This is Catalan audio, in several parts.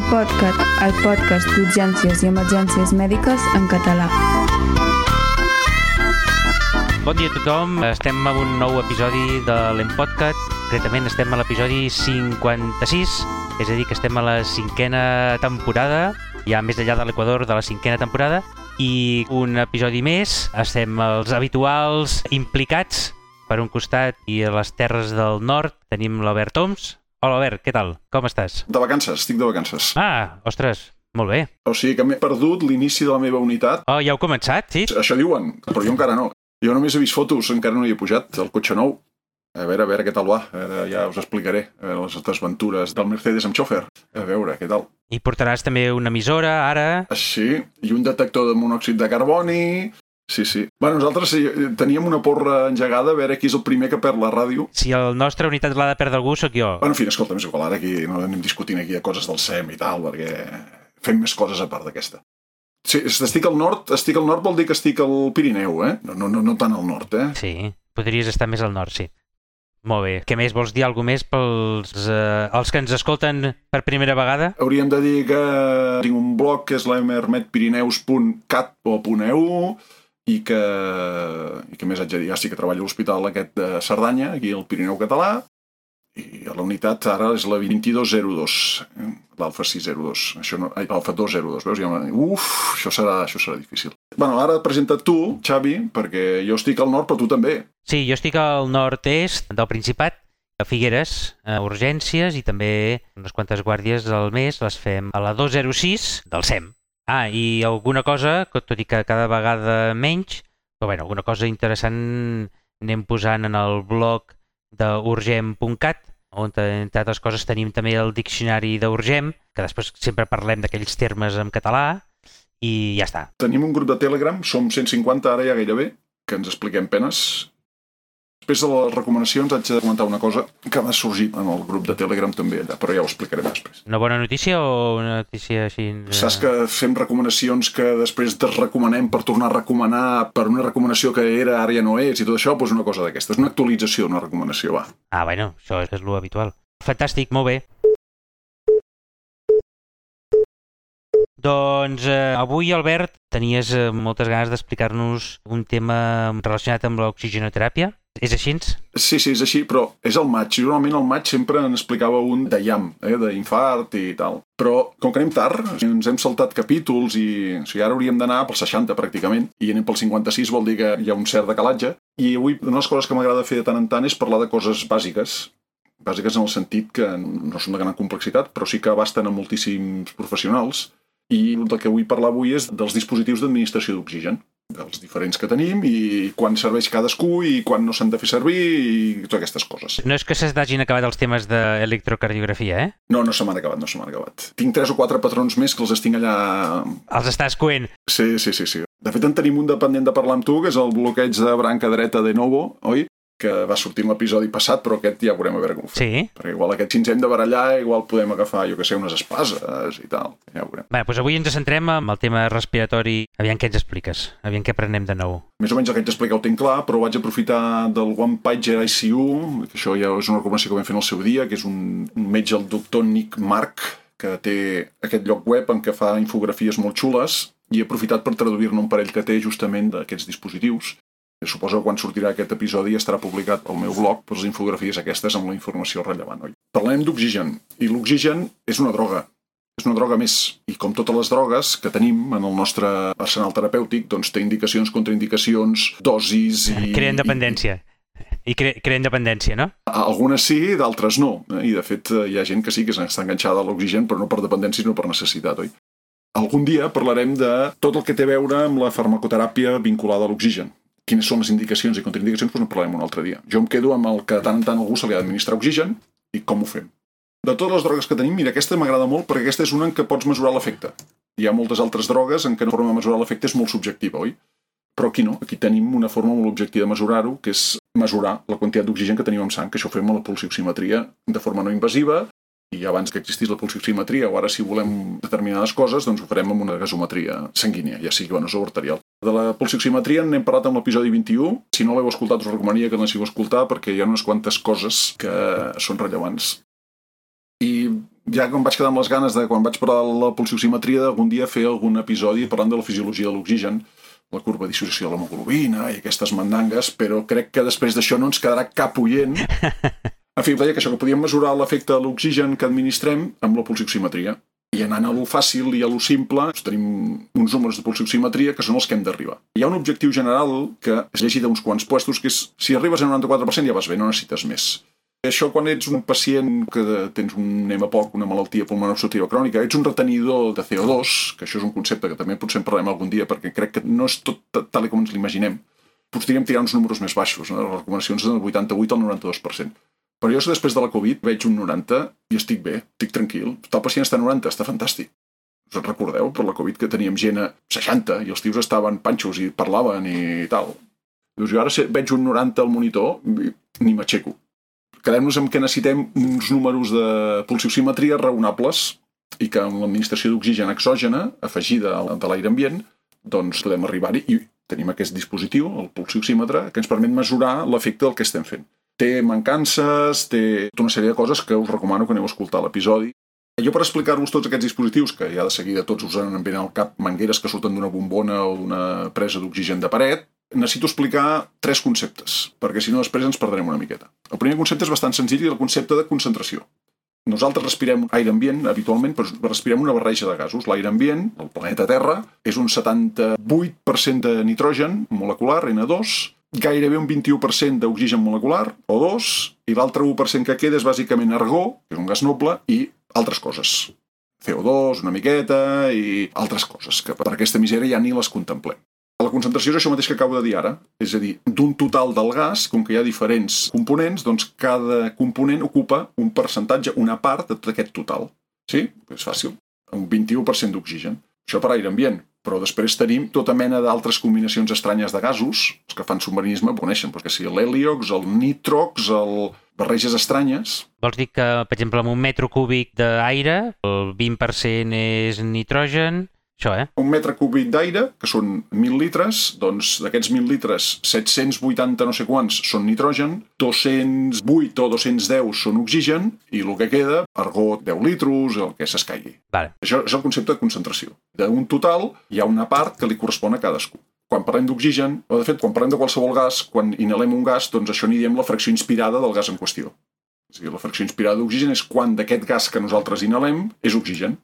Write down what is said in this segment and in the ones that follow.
L'Empodcat, el podcast d'urgències i emergències mèdiques en català. Bon dia a tothom, estem amb un nou episodi de l'Empodcat. Concretament estem a l'episodi 56, és a dir, que estem a la 5a temporada, ja més enllà de l'Equador de la 5a temporada, i un episodi més, estem els habituals implicats. Per un costat, i a les terres del nord, tenim l'Albert Oms. Hola, Albert, què tal? Com estàs? De vacances, estic de vacances. Ah, ostres, molt bé. O sigui que m'he perdut l'inici de la meva unitat. Oh, ja heu començat, sí? Això diuen, però jo encara no. Jo només he vist fotos, encara no hi he pujat, el cotxe nou. A veure què tal va. A veure, ja us explicaré les desventures del Mercedes amb xòfer. A veure, què tal. I portaràs també una emissora, ara. Sí, i un detector de monòxid de carboni. Sí. Bueno, nosaltres teníem una porra engegada a veure qui és el primer que perd la ràdio. Si el nostre unitat l'ha de perdre algú, sóc jo. Bueno, en fi, escolta, més igual, ara aquí no anem discutint aquí de coses del SEM i tal, perquè fem més coses a part d'aquesta. Sí, estic al nord vol dir que estic al Pirineu, eh? No tant al nord, eh? Sí, podries estar més al nord, sí. Molt bé. Què més? Vols dir alguna més pels els que ens escolten per primera vegada? Hauríem de dir que tinc un blog que és l'emermetpirineus.cat o .eu i que més haig de dir, ja sí que treballo a l'hospital aquest de Cerdanya, aquí al Pirineu català, i la unitat ara és la 2202, l'alfa 602, això no, l'alfa 202, veus? Això serà difícil. Bueno, ara presenta't tu, Xavi, perquè jo estic al nord, però tu també. Sí, jo estic al nord-est del Principat, a Figueres, a urgències, i també unes quantes guàrdies al mes les fem a la 206 del SEM. Ah, i alguna cosa, tot i que cada vegada menys, però bueno, alguna cosa interessant anem posant en el blog d'urgem.cat, on entre altres coses tenim també el diccionari d'Urgem, que després sempre parlem d'aquells termes en català, i ja està. Tenim un grup de Telegram, som 150 ara ja gairebé, que ens expliquem penes. Després de les recomanacions haig de comentar una cosa que va sorgir en el grup de Telegram també allà, però ja ho explicarem després. Una bona notícia o una notícia així? Saps que fem recomanacions que després desrecomanem per tornar a recomanar per una recomanació que era, ara ja no és, i tot això, doncs una cosa d'aquesta. És una actualització, una recomanació, va. Ah, bueno, això és lo habitual. Fantàstic, molt bé. Doncs avui, Albert, tenies moltes ganes d'explicar-nos un tema relacionat amb l'oxigenoteràpia. És així? Sí, és així, però és al maig. Normalment al maig sempre en explicava un de IAM, d'infart i tal. Però, com que anem tard, ens hem saltat capítols i o sigui, ara hauríem d'anar pel 60 pràcticament, i anem pel 56 vol dir que hi ha un cert decalatge. I avui una de les coses que m'agrada fer de tant en tant és parlar de coses bàsiques. Bàsiques en el sentit que no són de gran complexitat, però sí que abasten a moltíssims professionals. I el que vull parlar avui és dels dispositius d'administració d'oxigen, dels diferents que tenim i quan serveix cadascú i quan no s'han de fer servir i totes aquestes coses. No és que s'hagin acabat els temes d'electrocardiografia, eh? No se m'han acabat. Tinc 3 o 4 patrons més que els tinc allà... Els estàs coent. Sí. De fet, en tenim un dependent de parlar amb tu, que és el bloqueig de branca dreta de Novo, oi? Que va sortir en l'episodi passat, però aquest ja veurem a veure com ho fem. Sí. Perquè igual aquest si ens hem de barallar, igual podem agafar, jo que sé, unes espases i tal. Ja ho veurem. Bé, doncs avui ens centrem en el tema respiratori. Aviam què ens expliques, aviam què aprenem de nou. Més o menys el que haig d'explicar ho tinc clar, però vaig aprofitar del One Pager ICU, que això ja és una recomanació que vam fer en el seu dia, que és un metge, el doctor Nick Mark, que té aquest lloc web en què fa infografies molt xules, i he aprofitat per traduir-ne un parell que té justament d'aquests dispositius. Suposo que quan sortirà aquest episodi estarà publicat al meu blog per les infografies aquestes amb la informació rellevant. Oi? Parlem d'oxigen, i l'oxigen és una droga. És una droga més. I com totes les drogues que tenim en el nostre arsenal terapèutic, doncs té indicacions, contraindicacions, dosis i... Creen dependència. I creen dependència, no? Algunes sí, d'altres no. I de fet hi ha gent que sí que està enganxada a l'oxigen, però no per dependència, sinó per necessitat, oi? Algun dia parlarem de tot el que té a veure amb la farmacoteràpia vinculada a l'oxigen. Quines són les indicacions i contraindicacions, doncs en parlarem un altre dia. Jo em quedo amb el que tant en tant algú se li ha d'administrar oxigen i com ho fem. De totes les drogues que tenim, mira, aquesta m'agrada molt perquè aquesta és una en què pots mesurar l'efecte. Hi ha moltes altres drogues en què la forma de mesurar l'efecte és molt subjectiva, oi? Però aquí no, aquí tenim una forma molt objectiva de mesurar-ho, que és mesurar la quantitat d'oxigen que tenim en sang, que això ho fem a la pulsioximetria de forma no invasiva, i abans que existís la pulsioximetria, o ara si volem determinades coses, doncs ho farem amb una gasometria sanguínia, ja sigui venosa o arterial. De la pulsioximetria n'hem parlat en l'episodi 21. Si no l'heu escoltat, us recomanaria que l'aneu a escoltar perquè hi ha unes quantes coses que són rellevants. I ja que em vaig quedar amb les ganes de, quan vaig parlar de la pulsioximetria, d'algun dia fer algun episodi parlant de la fisiologia de l'oxigen, la curva de dissociació de l'hemoglobina i aquestes mandangues, però crec que després d'això no ens quedarà cap oient. En fi, deia que això, que podíem mesurar l'efecte de l'oxigen que administrem amb la pulsioximetria. I anant a lo fàcil i a lo simple, tenim uns números de pulsioximetria que són els que hem d'arribar. Hi ha un objectiu general que és llegit a uns quants puestos, que és, si arribes al 94% ja vas bé, no necessites més. Això quan ets un pacient que tens un EMAPOC, una malaltia pulmonar obstructiva crònica, ets un retenidor de CO2, que això és un concepte que també potser en parlarem algun dia perquè crec que no és tot tal com ens l'imaginem. Podríem tirar uns números més baixos, no? Les recomanacions del 88 al 92%. Però jo després de la Covid veig un 90 i estic bé, estic tranquil. El pacient està a 90, està fantàstic. Us en recordeu, per la Covid, que teníem gent a 60 i els tios estaven panxos i parlaven i tal. Doncs jo ara veig un 90 al monitor i ni m'aixeco. Quedem-nos amb que necessitem uns números de pulsioximetria raonables i que amb l'administració d'oxigen exògena afegida de l'aire ambient doncs podem arribar-hi i tenim aquest dispositiu, el pulsioxímetre, que ens permet mesurar l'efecte del que estem fent. Té mancances, té tota una sèrie de coses que us recomano que aneu a escoltar l'episodi. Jo per explicar-vos tots aquests dispositius, que ja de seguida tots us han ben al cap mangueres que surten d'una bombona o d'una presa d'oxigen de paret, necessito explicar 3 conceptes, perquè si no després ens perdrem una miqueta. El primer concepte és bastant senzill i el concepte de concentració. Nosaltres respirem aire ambient habitualment, però respirem una barreja de gasos. L'aire ambient, el planeta Terra, és un 78% de nitrogen molecular, N2, gairebé un 21% d'oxigen molecular, O2, i l'altre 1% que queda és bàsicament argó, que és un gas noble, i altres coses. CO2, una miqueta, i altres coses, que per aquesta misèria ja ni les contemplem. La concentració és això mateix que acabo de dir ara, és a dir, d'un total del gas, com que hi ha diferents components, doncs cada component ocupa un percentatge, una part de tot aquest total. Sí? És fàcil. Un 21% d'oxigen. Això per aire ambient. Però després tenim tota mena d'altres combinacions estranyes de gasos, els que fan submarinisme ho coneixen, perquè si l'heliox, el nitrox, barreges estranyes. Vols dir que, per exemple, amb un metre cúbic d'aire, el 20% és nitrogen. Això, Un metre cúbic d'aire, que són 1.000 litres, doncs d'aquests 1.000 litres, 780 no sé quants són nitrogen, 208 o 210 són oxigen, i el que queda, argó 10 litros, el que s'escaigui. Vale. Això és el concepte de concentració. D'un total hi ha una part que li correspon a cadascú. Quan parlem d'oxigen, o de fet, quan parlem de qualsevol gas, quan inhalem un gas, doncs això n'hi diem la fracció inspirada del gas en qüestió. O sigui, la fracció inspirada d'oxigen és quan d'aquest gas que nosaltres inhalem és oxigen.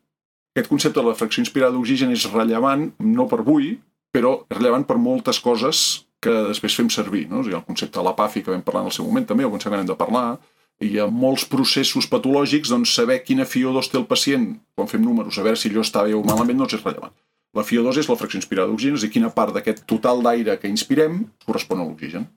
Aquest concepte de la fracció inspirada d'oxigen és rellevant, no per avui, però és rellevant per moltes coses que després fem servir. No? O sigui, el concepte de l'APAFI que vam parlar en el seu moment també, el concepte que hem de parlar, i hi ha molts processos patològics, doncs saber quina FiO2 té el pacient, quan fem números, a veure si allò està bé o malament, no és rellevant. La FiO2 és la fracció inspirada d'oxigen, és a dir, quina part d'aquest total d'aire que inspirem correspon a l'oxigen.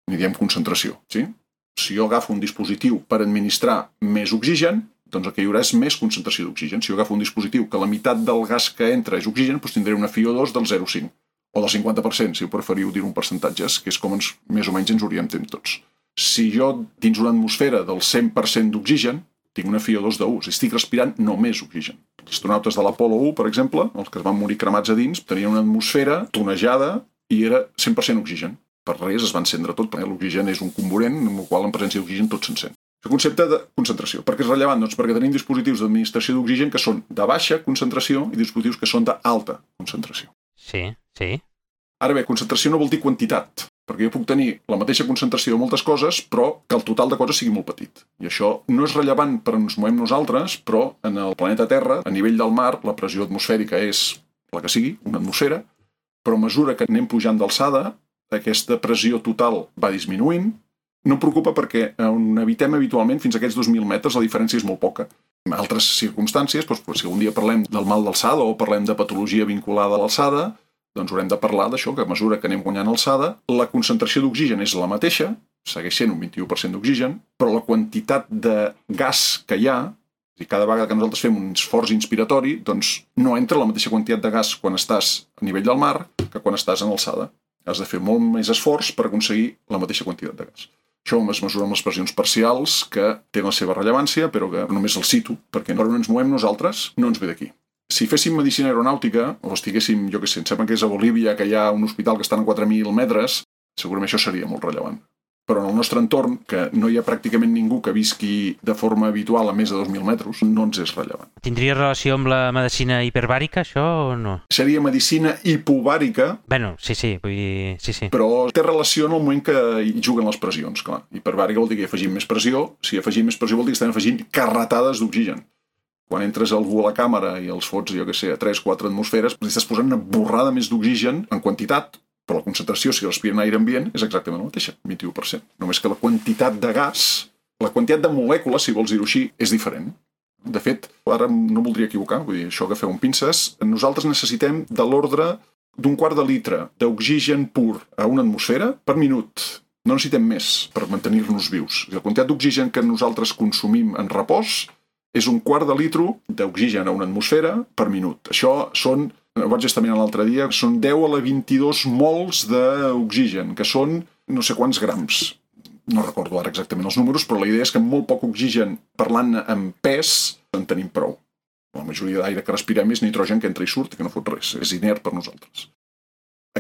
N'hi diem concentració. Sí? Si jo agafo un dispositiu per administrar més oxigen, doncs el que hi haurà és més concentració d'oxigen. Si jo agafo un dispositiu que la meitat del gas que entra és oxigen, doncs tindré una FiO2 del 0,5 o del 50%, si ho preferiu dir-ho en percentatges, que és com més o menys ens orientem tots. Si jo, dins una atmosfera del 100% d'oxigen, tinc una FiO2 de 1, estic respirant només oxigen. Els astronautes de l'Apolo 1, per exemple, els que es van morir cremats a dins, tenien una atmosfera tonejada i era 100% oxigen. Per res es va encendre tot, perquè l'oxigen és un comburent en el qual en presència d'oxigen tot s'encén. El concepte de concentració. Per què és rellevant? Doncs perquè tenim dispositius d'administració d'oxigen que són de baixa concentració i dispositius que són d'alta concentració. Sí, sí. Ara bé, concentració no vol dir quantitat, perquè jo puc tenir la mateixa concentració de moltes coses, però que el total de coses sigui molt petit. I això no és rellevant per on ens movem nosaltres, però en el planeta Terra, a nivell del mar, la pressió atmosfèrica és la que sigui, una atmosfera, però a mesura que anem pujant d'alçada, aquesta pressió total va disminuint. No em preocupa perquè on habitem habitualment, fins a aquests 2.000 metres, la diferència és molt poca. En altres circumstàncies, doncs, si algun dia parlem del mal d'alçada o parlem de patologia vinculada a l'alçada, doncs haurem de parlar d'això, que a mesura que anem guanyant alçada, la concentració d'oxigen és la mateixa, segueix sent un 21% d'oxigen, però la quantitat de gas que hi ha, i cada vegada que nosaltres fem un esforç inspiratori, doncs no entra la mateixa quantitat de gas quan estàs a nivell del mar que quan estàs en alçada. Has de fer molt més esforç per aconseguir la mateixa quantitat de gas. Això es mesura amb les pressions parcials, que tenen la seva rellevància, però que només els cito, perquè per on ens movem nosaltres no ens ve d'aquí. Si féssim medicina aeronàutica, o estiguéssim, jo què sé, em sembla que és a Bolívia, que hi ha un hospital que està a 4.000 metres, segurament això seria molt rellevant. Però en el nostre entorn, que no hi ha pràcticament ningú que visqui de forma habitual a més de 2.000 metres, no ens és rellevant. Tindria relació amb la medicina hiperbàrica, això, o no? Seria medicina hipobàrica. Bueno, sí, vull dir, sí. Però té relació en el moment que hi juguen les pressions, clar. Hiperbàrica vol dir que hi afegim més pressió. Si afegim més pressió vol dir que estem afegint carretades d'oxigen. Quan entres algú a la càmera i els fots, jo què sé, a 3-4 atmosferes, estàs posant una borrada més d'oxigen en quantitat, però la concentració, si respiren aire ambient, és exactament la mateixa, 21%. Només que la quantitat de gas, la quantitat de molècules, si vols dir-ho així, és diferent. De fet, ara no voldria equivocar, vull dir, això agafeu un pinces, nosaltres necessitem de l'ordre d'un quart de litre d'oxigen pur a una atmosfera per minut. No necessitem més per mantenir-nos vius. La quantitat d'oxigen que nosaltres consumim en repòs és un quart de litre d'oxigen a una atmosfera per minut. Això són, ho vaig estar mirant l'altre dia, són 10 a la 22 mols d'oxigen, que són no sé quants grams. No recordo ara exactament els números, però la idea és que amb molt poc oxigen, parlant en pes, en tenim prou. La majoria d'aire que respirem és nitrogen que entra i surt, que no fot res, és inert per nosaltres.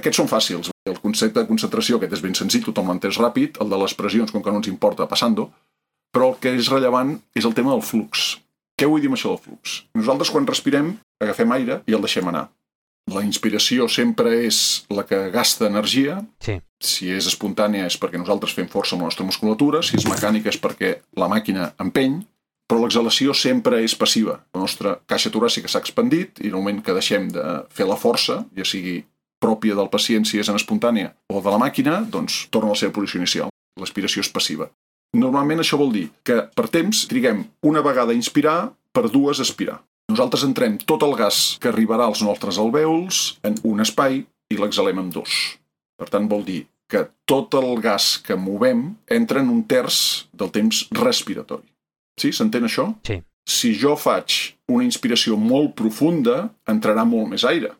Aquests són fàcils. El concepte de concentració aquest és ben senzill, tothom l'entès ràpid, el de les pressions, com que no ens importa, passant-ho, però el que és rellevant és el tema del flux. Què vull dir amb això del flux? Nosaltres quan respirem agafem aire i el deixem anar. La inspiració sempre és la que gasta energia. Sí. Si és espontània és perquè nosaltres fem força amb la nostra musculatura, si és mecànica és perquè la màquina empeny, però l'exhalació sempre és passiva. La nostra caixa toràcica s'ha expandit i en el moment que deixem de fer la força, ja sigui pròpia del pacient si és en espontània o de la màquina, doncs torna a la seva posició inicial. L'aspiració és passiva. Normalment això vol dir que per temps triguem una vegada a inspirar per dues a expirar. Nosaltres entrem tot el gas que arribarà als nostres alvèols en un espai i l'exhalem en dos. Per tant, vol dir que tot el gas que movem entra en un terç del temps respiratori. Sí? S'entén això? Sí. Si jo faig una inspiració molt profunda, entrarà molt més aire.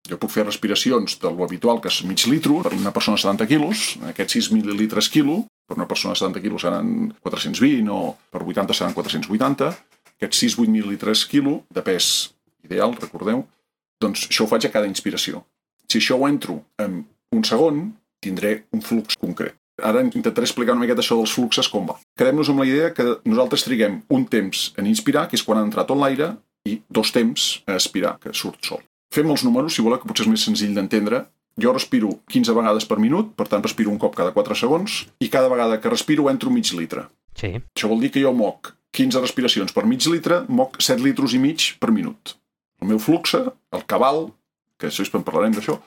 Jo puc fer respiracions de lo habitual, que és mig litro, per una persona de 70 quilos, aquests 6 mil·lilitres quilo, per una persona de 70 quilos seran 420 o per 80 seran 480, aquests 6-8 mil·lilitres quilo de pes ideal, recordeu, doncs això ho faig a cada inspiració. Si això ho entro en un segon, tindré un flux concret. Ara intentaré explicar una miqueta això dels fluxes com va. Quedem-nos amb la idea que nosaltres triguem un temps en inspirar, que és quan ha entrat tot l'aire, i 2 temps a expirar, que surt sol. Fem els números, si voleu, que potser és més senzill d'entendre. Jo respiro 15 vegades per minut, per tant respiro un cop cada 4 segons, i cada vegada que respiro entro mig litre. Sí. Això vol dir que jo moc 15 respiracions per mig litre, moc 7 litros i mig per minut. El meu flux, el cabal, que després en parlarem d'això,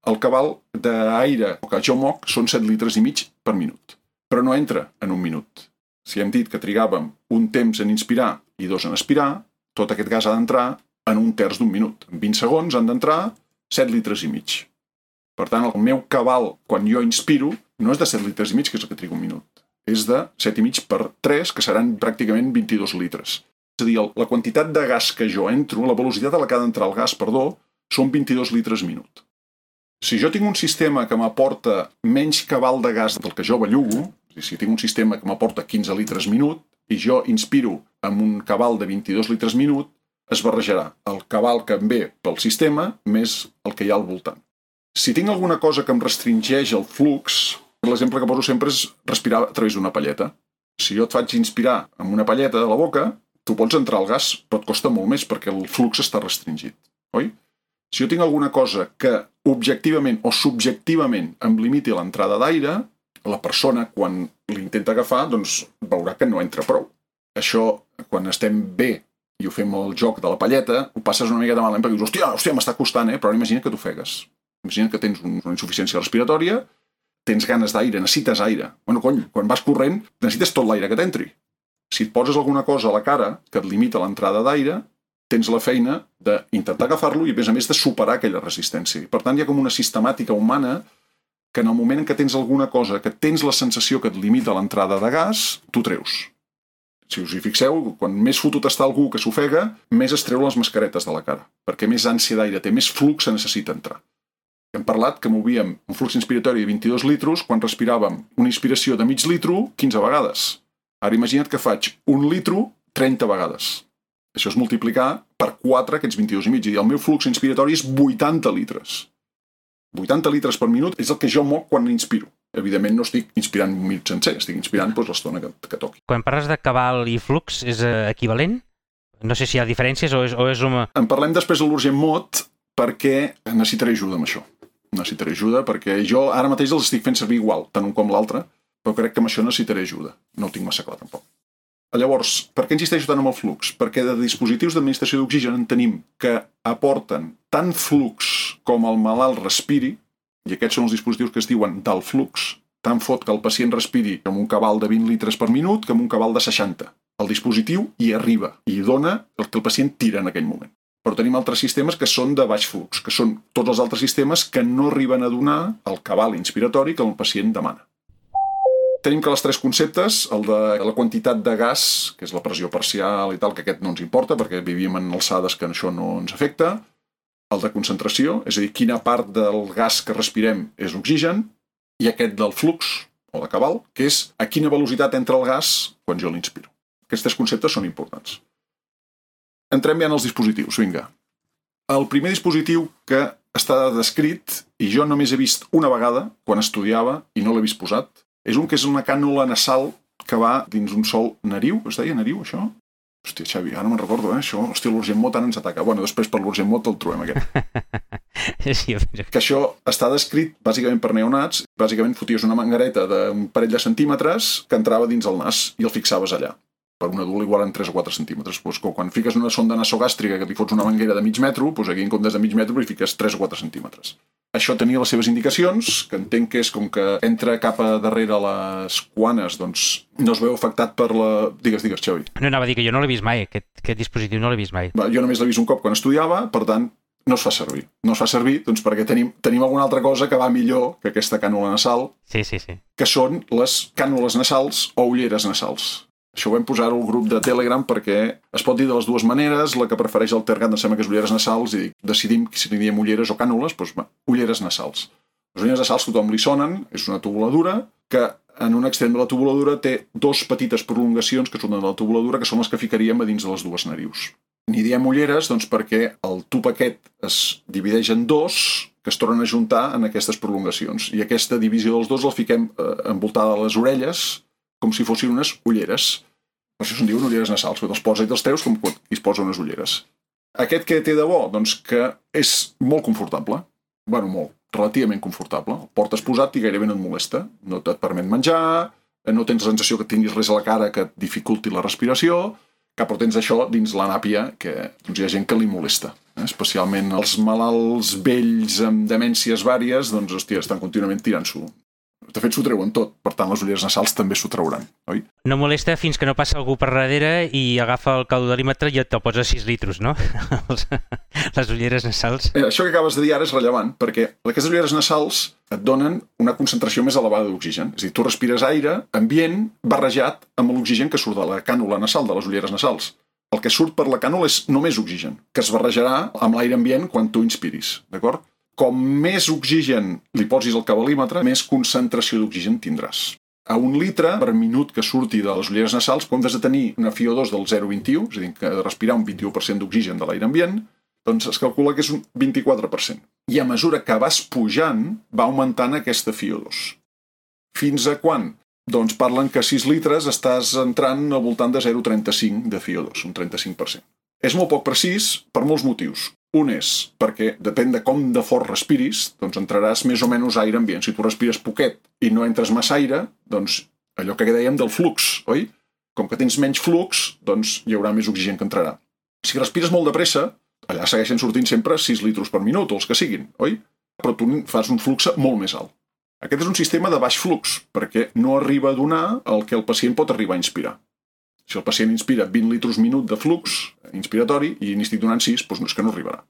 el cabal d'aire que jo moc són 7 litres i mig per minut. Però no entra en un minut. Si hem dit que trigàvem un temps en inspirar i 2 en expirar, tot aquest gas ha d'entrar en un terç d'un minut. En 20 segons han d'entrar 7 litres i mig. Per tant, el meu cabal, quan jo inspiro, no és de 7 litres i mig, que és el que triga un minut. És de 7 i mig per 3, que seran pràcticament 22 litres. És a dir, la quantitat de gas que jo entro, la velocitat a la que ha d'entrar el gas, són 22 litres minut. Si jo tinc un sistema que m'aporta menys cabal de gas del que jo bellugo, si tinc un sistema que m'aporta 15 litres minut, i jo inspiro amb un cabal de 22 litres minut, es barrejarà el cabal que em ve pel sistema més el que hi ha al voltant. Si tinc alguna cosa que em restringeix el flux, l'exemple que poso sempre és respirar a través d'una palleta. Si jo et faig inspirar amb una palleta de la boca, tu pots entrar al gas, però et costa molt més perquè el flux està restringit, oi? Si jo tinc alguna cosa que objectivament o subjectivament em limiti l'entrada d'aire, la persona, quan l'intenta agafar, doncs veurà que no entra prou. Això, quan estem bé i ho fem el joc de la palleta, ho passes una miqueta malament perquè dius, hòstia, m'està costant, però ara imagina que t'ofegues. Imagina que tens una insuficiència respiratòria, tens ganes d'aire, necessites aire. Bueno, quan vas corrent, necessites tot l'aire que t'entri. Si et poses alguna cosa a la cara que et limita l'entrada d'aire, tens la feina d'intentar agafar-lo i, a més de superar aquella resistència. Per tant, hi ha com una sistemàtica humana que en el moment en què tens alguna cosa, que tens la sensació que et limita l'entrada de gas, tu treus. Si us hi fixeu, quan més fotut està algú que s'ofega, més es treu les mascaretes de la cara, perquè més ànsia d'aire té, més flux se necessita entrar. Hem parlat que movíem un flux inspiratori de 22 litros quan respiràvem una inspiració de mig litro 15 vegades. Ara imagina't que faig un litro 30 vegades. Això és multiplicar per 4 aquests 22 i mig. I el meu flux inspiratori és 80 litres. 80 litres per minut és el que jo moc quan inspiro. evidentment no estic inspirant un minut sencer, estic inspirant l'estona que toqui. Quan parles de cabal i flux, és equivalent? No sé si hi ha diferències o és una... En parlem després de l'urgent mod perquè necessitaré ajuda amb això. Necessitaré ajuda perquè jo ara mateix els estic fent servir igual, tant un com l'altre, però crec que amb això necessitaré ajuda. No ho tinc massa clar, tampoc. Llavors, per què insisteixo tant amb el flux? Perquè de dispositius d'administració d'oxigen en tenim que aporten tant flux com el malalt respiri, i aquests són els dispositius que es diuen d'alt flux, tant fot que el pacient respiri amb un cabal de 20 litres per minut que amb un cabal de 60. El dispositiu hi arriba i dona el que el pacient tira en aquell moment. Però tenim altres sistemes que són de baix flux, que són tots els altres sistemes que no arriben a donar el cabal inspiratori que el pacient demana. Tenim que els tres conceptes, el de la quantitat de gas, que és la pressió parcial i tal, que aquest no ens importa perquè vivim en alçades que això no ens afecta, el de concentració, és a dir, quina part del gas que respirem és oxigen, i aquest del flux, o de cabal, que és a quina velocitat entra el gas quan jo l'inspiro. Aquests tres conceptes són importants. Entrem ja en els dispositius, vinga. El primer dispositiu que està descrit, i jo només he vist una vegada, quan estudiava, i no l'he vist posat, és un que és una cànula nasal que va dins un sol nariu. Es deia nariu, això? Hòstia, Xavi, ara me'n recordo, això. Hòstia, l'urgent mod ara ens ataca. Bueno, després per l'urgent mod el trobem, aquest. Sí, que això està descrit bàsicament per neonats. Bàsicament foties una mangareta d'un parell de centímetres que entrava dins el nas i el fixaves allà. Per un adult igual en 3 o 4 centímetres. Pues, quan fiques una sonda nasogàstrica que li fots una manguera de mig metro, doncs aquí en comptes de mig metro li fiques 3 o 4 centímetres. Això tenia les seves indicacions, que entenc que és com que entra cap a darrere les cuanes, doncs no es veu afectat per la... Digues, Xavi. No anava a dir que jo no l'he vist mai, aquest dispositiu no l'he vist mai. Jo només l'he vist un cop quan estudiava, per tant, no es fa servir. No es fa servir doncs, perquè tenim alguna altra cosa que va millor que aquesta cànula nasal, sí. que són les cànules nasals o ulleres nasals. Això ho vam posar al grup de Telegram perquè es pot dir de les dues maneres, la que prefereix el Tergat em sembla que és ulleres nasals i decidim si li diem ulleres o cànules, doncs ulleres nasals. Les ulleres nasals tothom li sonen, és una tubuladura que en un extrem de la tubuladura té dos petites prolongacions que surten de la tubuladura que són les que ficaríem a dins de les dues narius. N'hi diem ulleres doncs, perquè el tub aquest es divideix en dos que es tornen a juntar en aquestes prolongacions i aquesta divisió dels dos la fiquem envoltada a les orelles com si fossin unes ulleres. Per això se'n diuen ulleres nasals, perquè te'ls posa i te'ls treus com quan es posa unes ulleres. Aquest que té de bo? Doncs que és molt confortable. Bueno, molt, relativament confortable. El portes posat i gairebé no et molesta. No et permet menjar, no tens la sensació que tinguis res a la cara que et dificulti la respiració, però tens això dins la nàpia que doncs, hi ha gent que li molesta. Especialment els malalts vells amb demències vàries, doncs, hòstia, estan contínuament tirant-s'ho. De fet, s'ho treuen tot. Per tant, les ulleres nasals també s'ho trauran, oi? No molesta fins que no passa algú per darrere i agafa el caudalímetre i te'l posa 6 litros, no? Les ulleres nasals. Això que acabes de dir ara és rellevant, perquè aquestes ulleres nasals et donen una concentració més elevada d'oxigen. És a dir, tu respires aire ambient barrejat amb l'oxigen que surt de la cànula nasal, de les ulleres nasals. El que surt per la cànula és només oxigen, que es barrejarà amb l'aire ambient quan tu inspiris, d'acord? Com més oxigen li posis al cabalímetre, més concentració d'oxigen tindràs. A 1 litre per minut que surti de les ulleres nasals, quan has de tenir una FiO2 del 0,21, és a dir, que de respirar un 21% d'oxigen de l'aire ambient, doncs es calcula que és un 24%. I a mesura que vas pujant, va augmentant aquesta FiO2. Fins a quan? Doncs parlen que a 6 litres estàs entrant al voltant de 0,35 de FiO2, un 35%. És molt poc precís per molts motius. Un és perquè, depèn de com de fort respiris, doncs entraràs més o menys aire ambient. Si tu respires poquet i no entres massa aire, doncs allò que dèiem del flux, oi? Com que tens menys flux, doncs hi haurà més oxigen que entrarà. Si respires molt de pressa, allà segueixen sortint sempre 6 litros per minut, o els que siguin, oi? Però tu fas un flux molt més alt. Aquest és un sistema de baix flux, perquè no arriba a donar el que el pacient pot arribar a inspirar. Si el pacient inspira 20 litros minut de flux inspiratori i n'estic donant 6, doncs no és que no arribarà.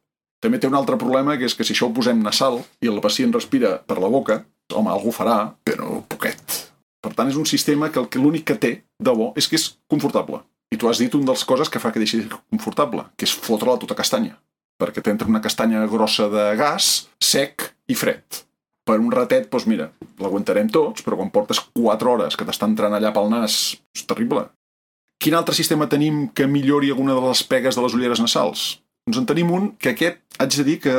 També té un altre problema, que és que si això ho posem nasal i el pacient respira per la boca, home, algú farà, però poquet. Per tant, és un sistema que l'únic que té de bo és que és confortable. I tu has dit una de les coses que fa que deixi de ser confortable, que és fotre-la tota castanya. Perquè t'entra una castanya grossa de gas, sec i fred. Per un ratet, doncs mira, l'aguantarem tots, però quan portes 4 hores que t'està entrant allà pel nas, és terrible. Quin altre sistema tenim que millori alguna de les pegues de les ulleres nasals? Doncs en tenim un que aquest haig de dir que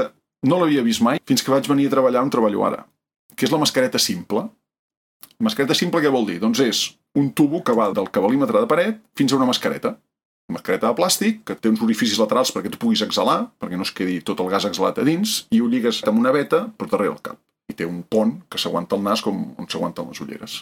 no l'havia vist mai fins que vaig venir a treballar on treballo ara, que és la mascareta simple. Mascareta simple què vol dir? Doncs és un tubo que va del cabalímetre de paret fins a una mascareta. Una mascareta de plàstic que té uns orificis laterals perquè tu puguis exhalar, perquè no es quedi tot el gas exhalat a dins, i ho lligues amb una veta per darrere el cap. I té un pont que s'aguanta el nas com on s'aguanten les ulleres.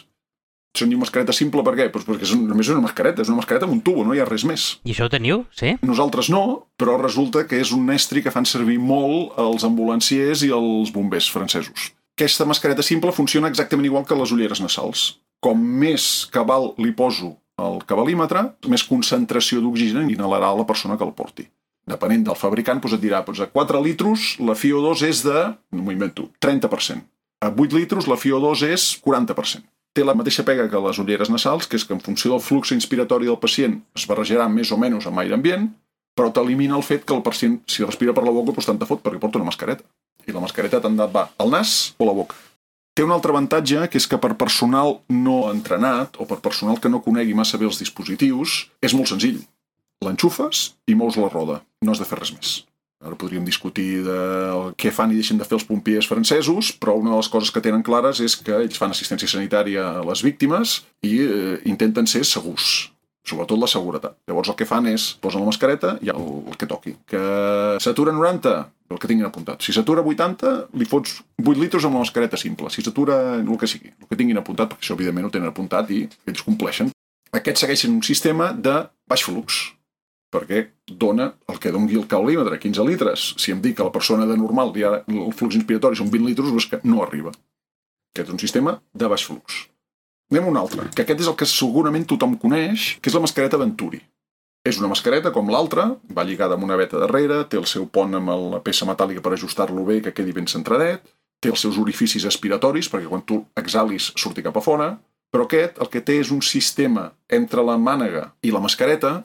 Se'n diu mascareta simple per què? Doncs perquè només és una mascareta amb un tubo, no hi ha res més. I això ho teniu, sí? Nosaltres no, però resulta que és un estri que fan servir molt els ambulanciers i els bombers francesos. Aquesta mascareta simple funciona exactament igual que les ulleres nasals. Com més cabal li poso al cabalímetre, més concentració d'oxigen inhalarà la persona que el porti. Depenent del fabricant, et dirà, a 4 litros la FiO2 és de, no m'ho invento, 30%. A 8 litros la FiO2 és 40%. Té la mateixa pega que les ulleres nasals, que és que en funció del flux inspiratori del pacient es barrejarà més o menys amb aire ambient, però t'elimina el fet que el pacient, si respira per la boca, doncs tant te fot, perquè porta una mascareta. I la mascareta tant va al nas o a la boca. Té un altre avantatge, que és que per personal no entrenat o per personal que no conegui massa bé els dispositius, és molt senzill. L'enxufes i mous la roda. No has de fer res més. Ara podríem discutir de què fan i deixen de fer els pompiers francesos, però una de les coses que tenen clares és que ells fan assistència sanitària a les víctimes i intenten ser segurs, sobretot la seguretat. Llavors el que fan és, posen la mascareta i el que toqui. Que s'atura 90, el que tinguin apuntat. Si s'atura 80, li fots 8 litros amb la mascareta simple. Si s'atura el que sigui, el que tinguin apuntat, perquè això evidentment ho tenen apuntat i ells compleixen. Aquests segueixen un sistema de baix flux, perquè dona el que doni el cabalímetre, 15 litres. Si em dic que la persona de normal ja el flux inspiratori són 20 litres, doncs que no arriba. Aquest és un sistema de baix flux. Anem a un altre, que aquest és el que segurament tothom coneix, que és la mascareta Venturi. És una mascareta com l'altra, va lligada amb una veta darrere, té el seu pont amb la peça metàl·lica per ajustar-lo bé, que quedi ben centradet, té els seus orificis aspiratoris, perquè quan tu exhalis surti cap a fora, però aquest el que té és un sistema entre la mànega i la mascareta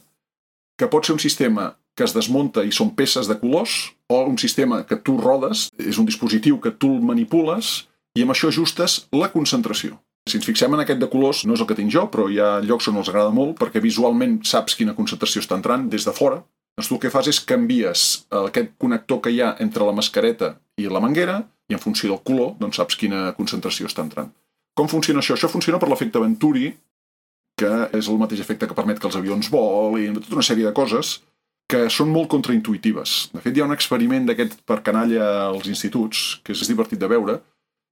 que pot ser un sistema que es desmunta i són peces de colors, o un sistema que tu rodes, és un dispositiu que tu el manipules i amb això ajustes la concentració. Si ens fixem en aquest de colors, no és el que tinc jo, però hi ha llocs on els agrada molt perquè visualment saps quina concentració està entrant des de fora. Doncs tu el que fas és canvies aquest connector que hi ha entre la mascareta i la manguera i en funció del color doncs saps quina concentració està entrant. Com funciona això? Això funciona per l'efecte Venturi, que és el mateix efecte que permet que els avions volin, tota una sèrie de coses que són molt contraintuitives. De fet, hi ha un experiment d'aquest per canalla als instituts, que és divertit de veure.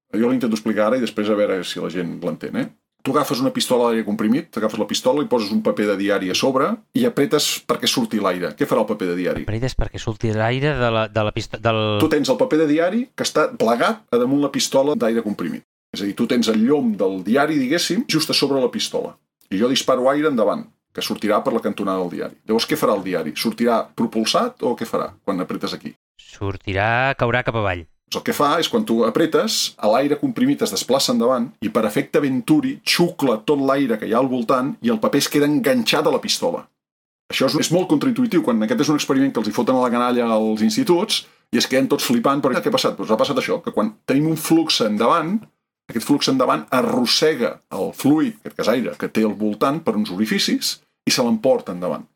Jo l'intento explicar ara i després a veure si la gent l'entén. Tu agafes una pistola d'aire comprimit, t'agafes la pistola i poses un paper de diari a sobre i apretes perquè surti l'aire. Què farà el paper de diari? Apretes perquè surti l'aire de la pistola... Tu tens el paper de diari que està plegat a damunt la pistola d'aire comprimit. És a dir, tu tens el llom del diari, diguéssim, just a sobre la pistola. I jo disparo aire endavant, que sortirà per la cantonada del diari. Llavors, què farà el diari? Sortirà propulsat o què farà quan apretes aquí? Caurà cap avall. El que fa és quan tu apretes, l'aire comprimit es desplaça endavant i per efecte Venturi xucla tot l'aire que hi ha al voltant i el paper es queda enganxat a la pistola. Això és molt contraintuitiu. Quan aquest és un experiment que els hi foten a la canalla als instituts i es queden tots flipant. Però què ha passat? Doncs ha passat això, que quan tenim un flux endavant, aquest flux endavant arrossega el fluid, aquest gas aire, que té al voltant per uns orificis i se l'emporta endavant.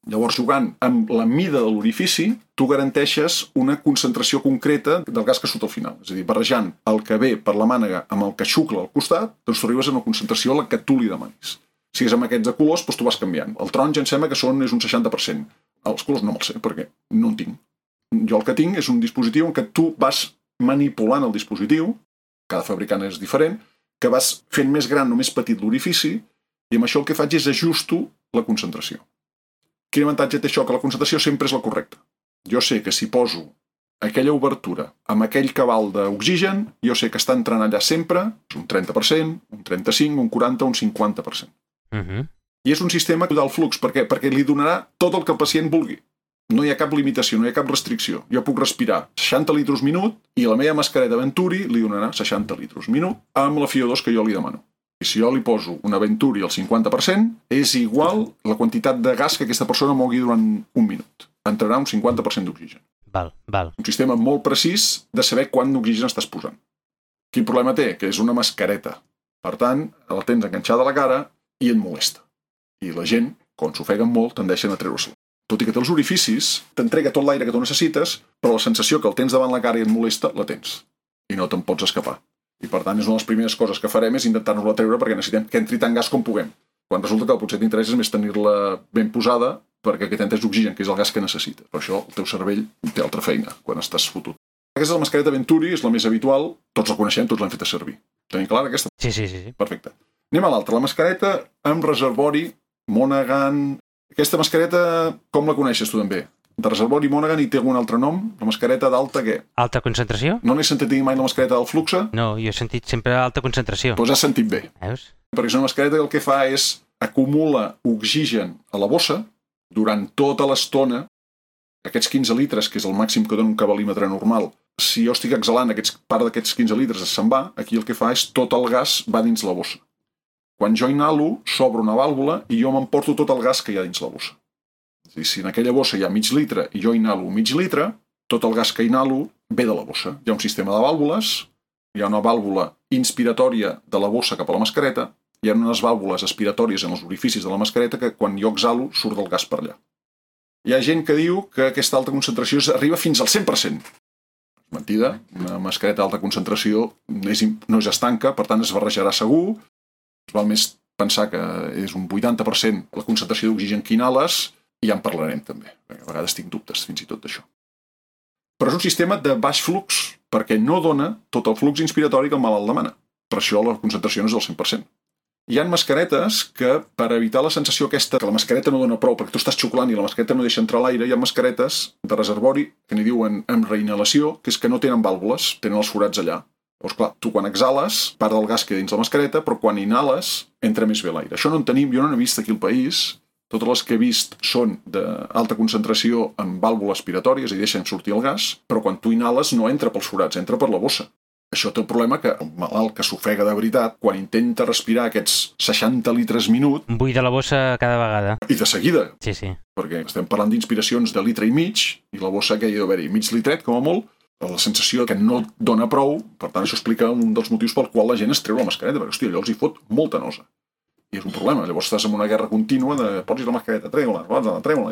Llavors, jugant amb la mida de l'orifici, tu garanteixes una concentració concreta del gas que surt al final. És a dir, barrejant el que ve per la mànega amb el que xucla al costat, doncs tu arribes a una concentració a la que tu li demanis. Si és amb aquests de colors, doncs tu vas canviant. El taronja em sembla que és un 60%. Els colors no me'ls sé, perquè no en tinc. Jo el que tinc és un dispositiu en què tu vas manipulant el dispositiu, cada fabricant és diferent, que vas fent més gran o més petit l'orifici i amb això el que faig és ajusto la concentració. Quin avantatge té això? Que la concentració sempre és la correcta. Jo sé que si poso aquella obertura amb aquell cabal d'oxigen, jo sé que està entrant allà sempre un 30%, un 35%, un 40%, un 50%. I és un sistema del flux. Per què? Perquè li donarà tot el que el pacient vulgui. No hi ha cap limitació, no hi ha cap restricció. Jo puc respirar 60 litros minut i la meva mascareta Venturi li donarà 60 litros minut amb la FiO2 que jo li demano. I si jo li poso una Venturi al 50%, és igual la quantitat de gas que aquesta persona mogui durant un minut. Entrarà un 50% d'oxigen. Val. Un sistema molt precís de saber quant d'oxigen estàs posant. Quin problema té? Que és una mascareta. Per tant, la tens enganxada a la cara i et molesta. I la gent, quan s'ofeguen molt, tendeixen a treure-se'l. Tot i que té els orificis, t'entrega tot l'aire que tu necessites, però la sensació que el tens davant la cara i et molesta, la tens. I no te'n pots escapar. I per tant és una de les primeres coses que farem és intentar-nos-la treure perquè necessitem que entri tant gas com puguem. Quan resulta que el potser t'interessa és més tenir-la ben posada perquè aquest entès d'oxigen, que és el gas que necessita. Per això el teu cervell té altra feina quan estàs fotut. Aquesta és la mascareta Venturi, és la més habitual, tots la coneixem, tots l'hem fet servir. Tenim clara aquesta? Sí. Perfecte. Anem a l'altra, la mascareta amb reservori Monaghan. Aquesta mascareta, com la coneixes tu també? De reservori Monaghan i té algun altre nom? La mascareta d'alta què? Alta concentració? No n'he sentit dir mai la mascareta del Fluxe? No, jo he sentit sempre alta concentració. Doncs has sentit bé. Veus? Perquè és una mascareta que el que fa és acumula oxigen a la bossa durant tota l'estona. Aquests 15 litres, que és el màxim que dona un cabalímetre normal, si jo estic exhalant part d'aquests 15 litres se'n va, aquí el que fa és tot el gas va dins la bossa. Quan jo inhalo, s'obre una vàlvula i jo m'emporto tot el gas que hi ha dins la bossa. És a dir, si en aquella bossa hi ha mig litre i jo inhalo mig litre, tot el gas que inhalo ve de la bossa. Hi ha un sistema de vàlvules, hi ha una vàlvula inspiratòria de la bossa cap a la mascareta, hi ha unes vàlvules aspiratòries en els orificis de la mascareta que quan jo exhalo surt el gas per allà. Hi ha gent que diu que aquesta alta concentració arriba fins al 100%. És mentida, una mascareta d'alta concentració no és estanca, per tant es barrejarà segur. Val més pensar que és un 80% la concentració d'oxigen que inhales i ja en parlarem també, perquè a vegades tinc dubtes fins i tot d'això. Però és un sistema de baix flux perquè no dona tot el flux inspiratori que el malalt demana. Per això la concentració no és del 100%. Hi ha mascaretes que, per evitar la sensació aquesta que la mascareta no dona prou perquè tu estàs xuclant i la mascareta no deixa entrar l'aire, hi ha mascaretes de reservori que n'hi diuen amb reinhalació, que és que no tenen vàlvules, tenen els forats allà. Llavors, clar, tu quan exhales, part del gas queda dins la mascareta, però quan inhales, entra més bé l'aire. Això no en tenim, jo no n'he vist aquí al país. Totes les que he vist són d'alta concentració amb vàlvules aspiratòries i deixen sortir el gas, però quan tu inhales no entra pels forats, entra per la bossa. Això té el problema que el malalt que s'ofega de veritat, quan intenta respirar aquests 60 litres minut... Buida la bossa cada vegada. I de seguida. Sí. Perquè estem parlant d'inspiracions de litre i mig, i la bossa que hi ha d'haver-hi mig litret, com a molt, la sensació que no dona prou, per tant això explica un dels motius pel qual la gent es treu la mascareta, perquè hòstia, allò els hi fot molta nosa. I és un problema, llavors estàs en una guerra contínua de pots la mascareta, treu-la,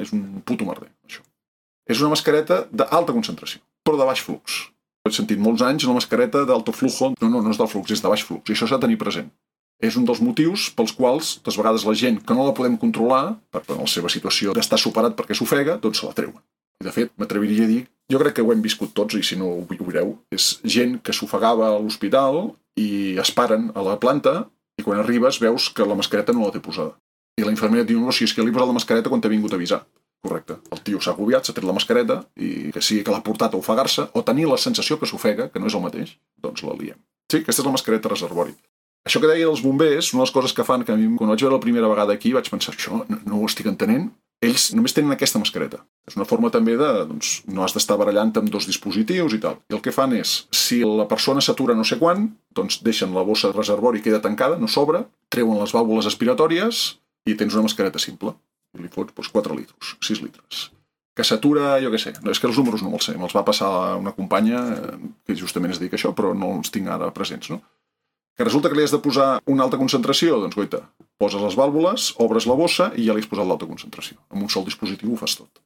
és un puto merder, això. És una mascareta d'alta concentració, però de baix flux. He sentit molts anys una mascareta d'alto flujo, no és del flux, és de baix flux, i això s'ha de tenir present. És un dels motius pels quals, de vegades la gent que no la podem controlar, per la seva situació d'estar superat perquè s'ofega, doncs se la treuen. I de fet, m'atreviria a dir, jo crec que ho hem viscut tots, i si no ho veureu, és gent que s'ofegava a l'hospital i es paren a la planta i quan arribes veus que la mascareta no la té posada. I la infermera et diu, no, si és que li he posat la mascareta quan t'he vingut a avisar. Correcte. El tio s'ha agobiat, s'ha tret la mascareta i que sigui que l'ha portat a ofegar-se o tenir la sensació que s'ofega, que no és el mateix, doncs la liem. Sí, aquesta és la mascareta reservori. Això que deia dels bombers, una de les coses que fan, que a mi, quan vaig veure la primera vegada aquí, vaig pensar, això no ho estic entenent. Ells només tenen aquesta mascareta. És una forma també de, doncs, no has d'estar barallant amb dos dispositius i tal. I el que fan és, si la persona s'atura no sé quan, doncs deixen la bossa de reservori, queda tancada, no s'obre, treuen les vàlvules aspiratòries i tens una mascareta simple. I li fots 4 litres, 6 litres. Que s'atura, jo què sé, no, és que els números no me'ls sé, me'ls va passar una companya que justament es dedica a això, però no els tinc ara presents, no? Que resulta que li has de posar una alta concentració, doncs goita, poses les vàlvules, obres la bossa i ja li has posat l'alta concentració. Amb un sol dispositiu ho fas tot.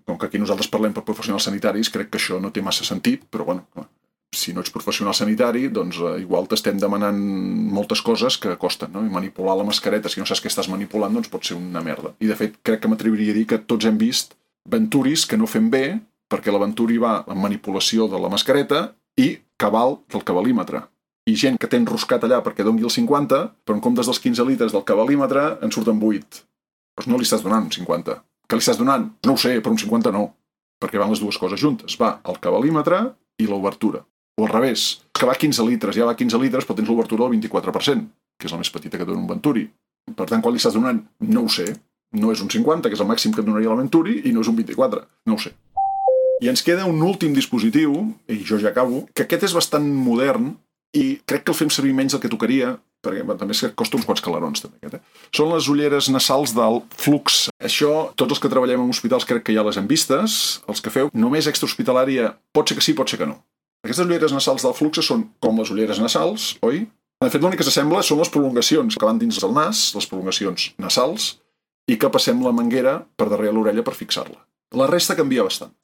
Com que aquí nosaltres parlem per professionals sanitaris, crec que això no té massa sentit, però bueno, si no ets professional sanitari, doncs igual t'estem demanant moltes coses que costen, no? I manipular la mascareta, si no saps què estàs manipulant, doncs pot ser una merda. I de fet, crec que m'atreviria a dir que tots hem vist Venturis que no fem bé, perquè la Venturi va amb manipulació de la mascareta i cabal del cabalímetre. I gent que té enroscat allà perquè doni el 50, però en comptes dels 15 litres del cabalímetre en surten 8. Doncs no li estàs donant un 50. Què li estàs donant? No ho sé, però un 50 no. Perquè van les dues coses juntes. Va el cabalímetre i l'obertura. O al revés, que va 15 litres, ja va 15 litres, però tens l'obertura del 24%, que és la més petita que dona un Venturi. Per tant, quan li estàs donant, no ho sé, no és un 50, que és el màxim que et donaria la Venturi, i no és un 24, no ho sé. I ens queda un últim dispositiu, i jo ja acabo, que aquest és bastant modern, i crec que el fem servir menys del que tocaria, perquè també costa uns quants calarons, també, aquest. Són les ulleres nasals del Flux. Això, tots els que treballem en hospitals crec que ja les hem vistes, els que feu només extrahospitalària, pot ser que sí, pot ser que no. Aquestes ulleres nasals del Flux són com les ulleres nasals, oi? De fet, l'únic que s'assembla són les prolongacions que van dins del nas, les prolongacions nasals, i que passem la manguera per darrere l'orella per fixar-la. La resta canvia bastant.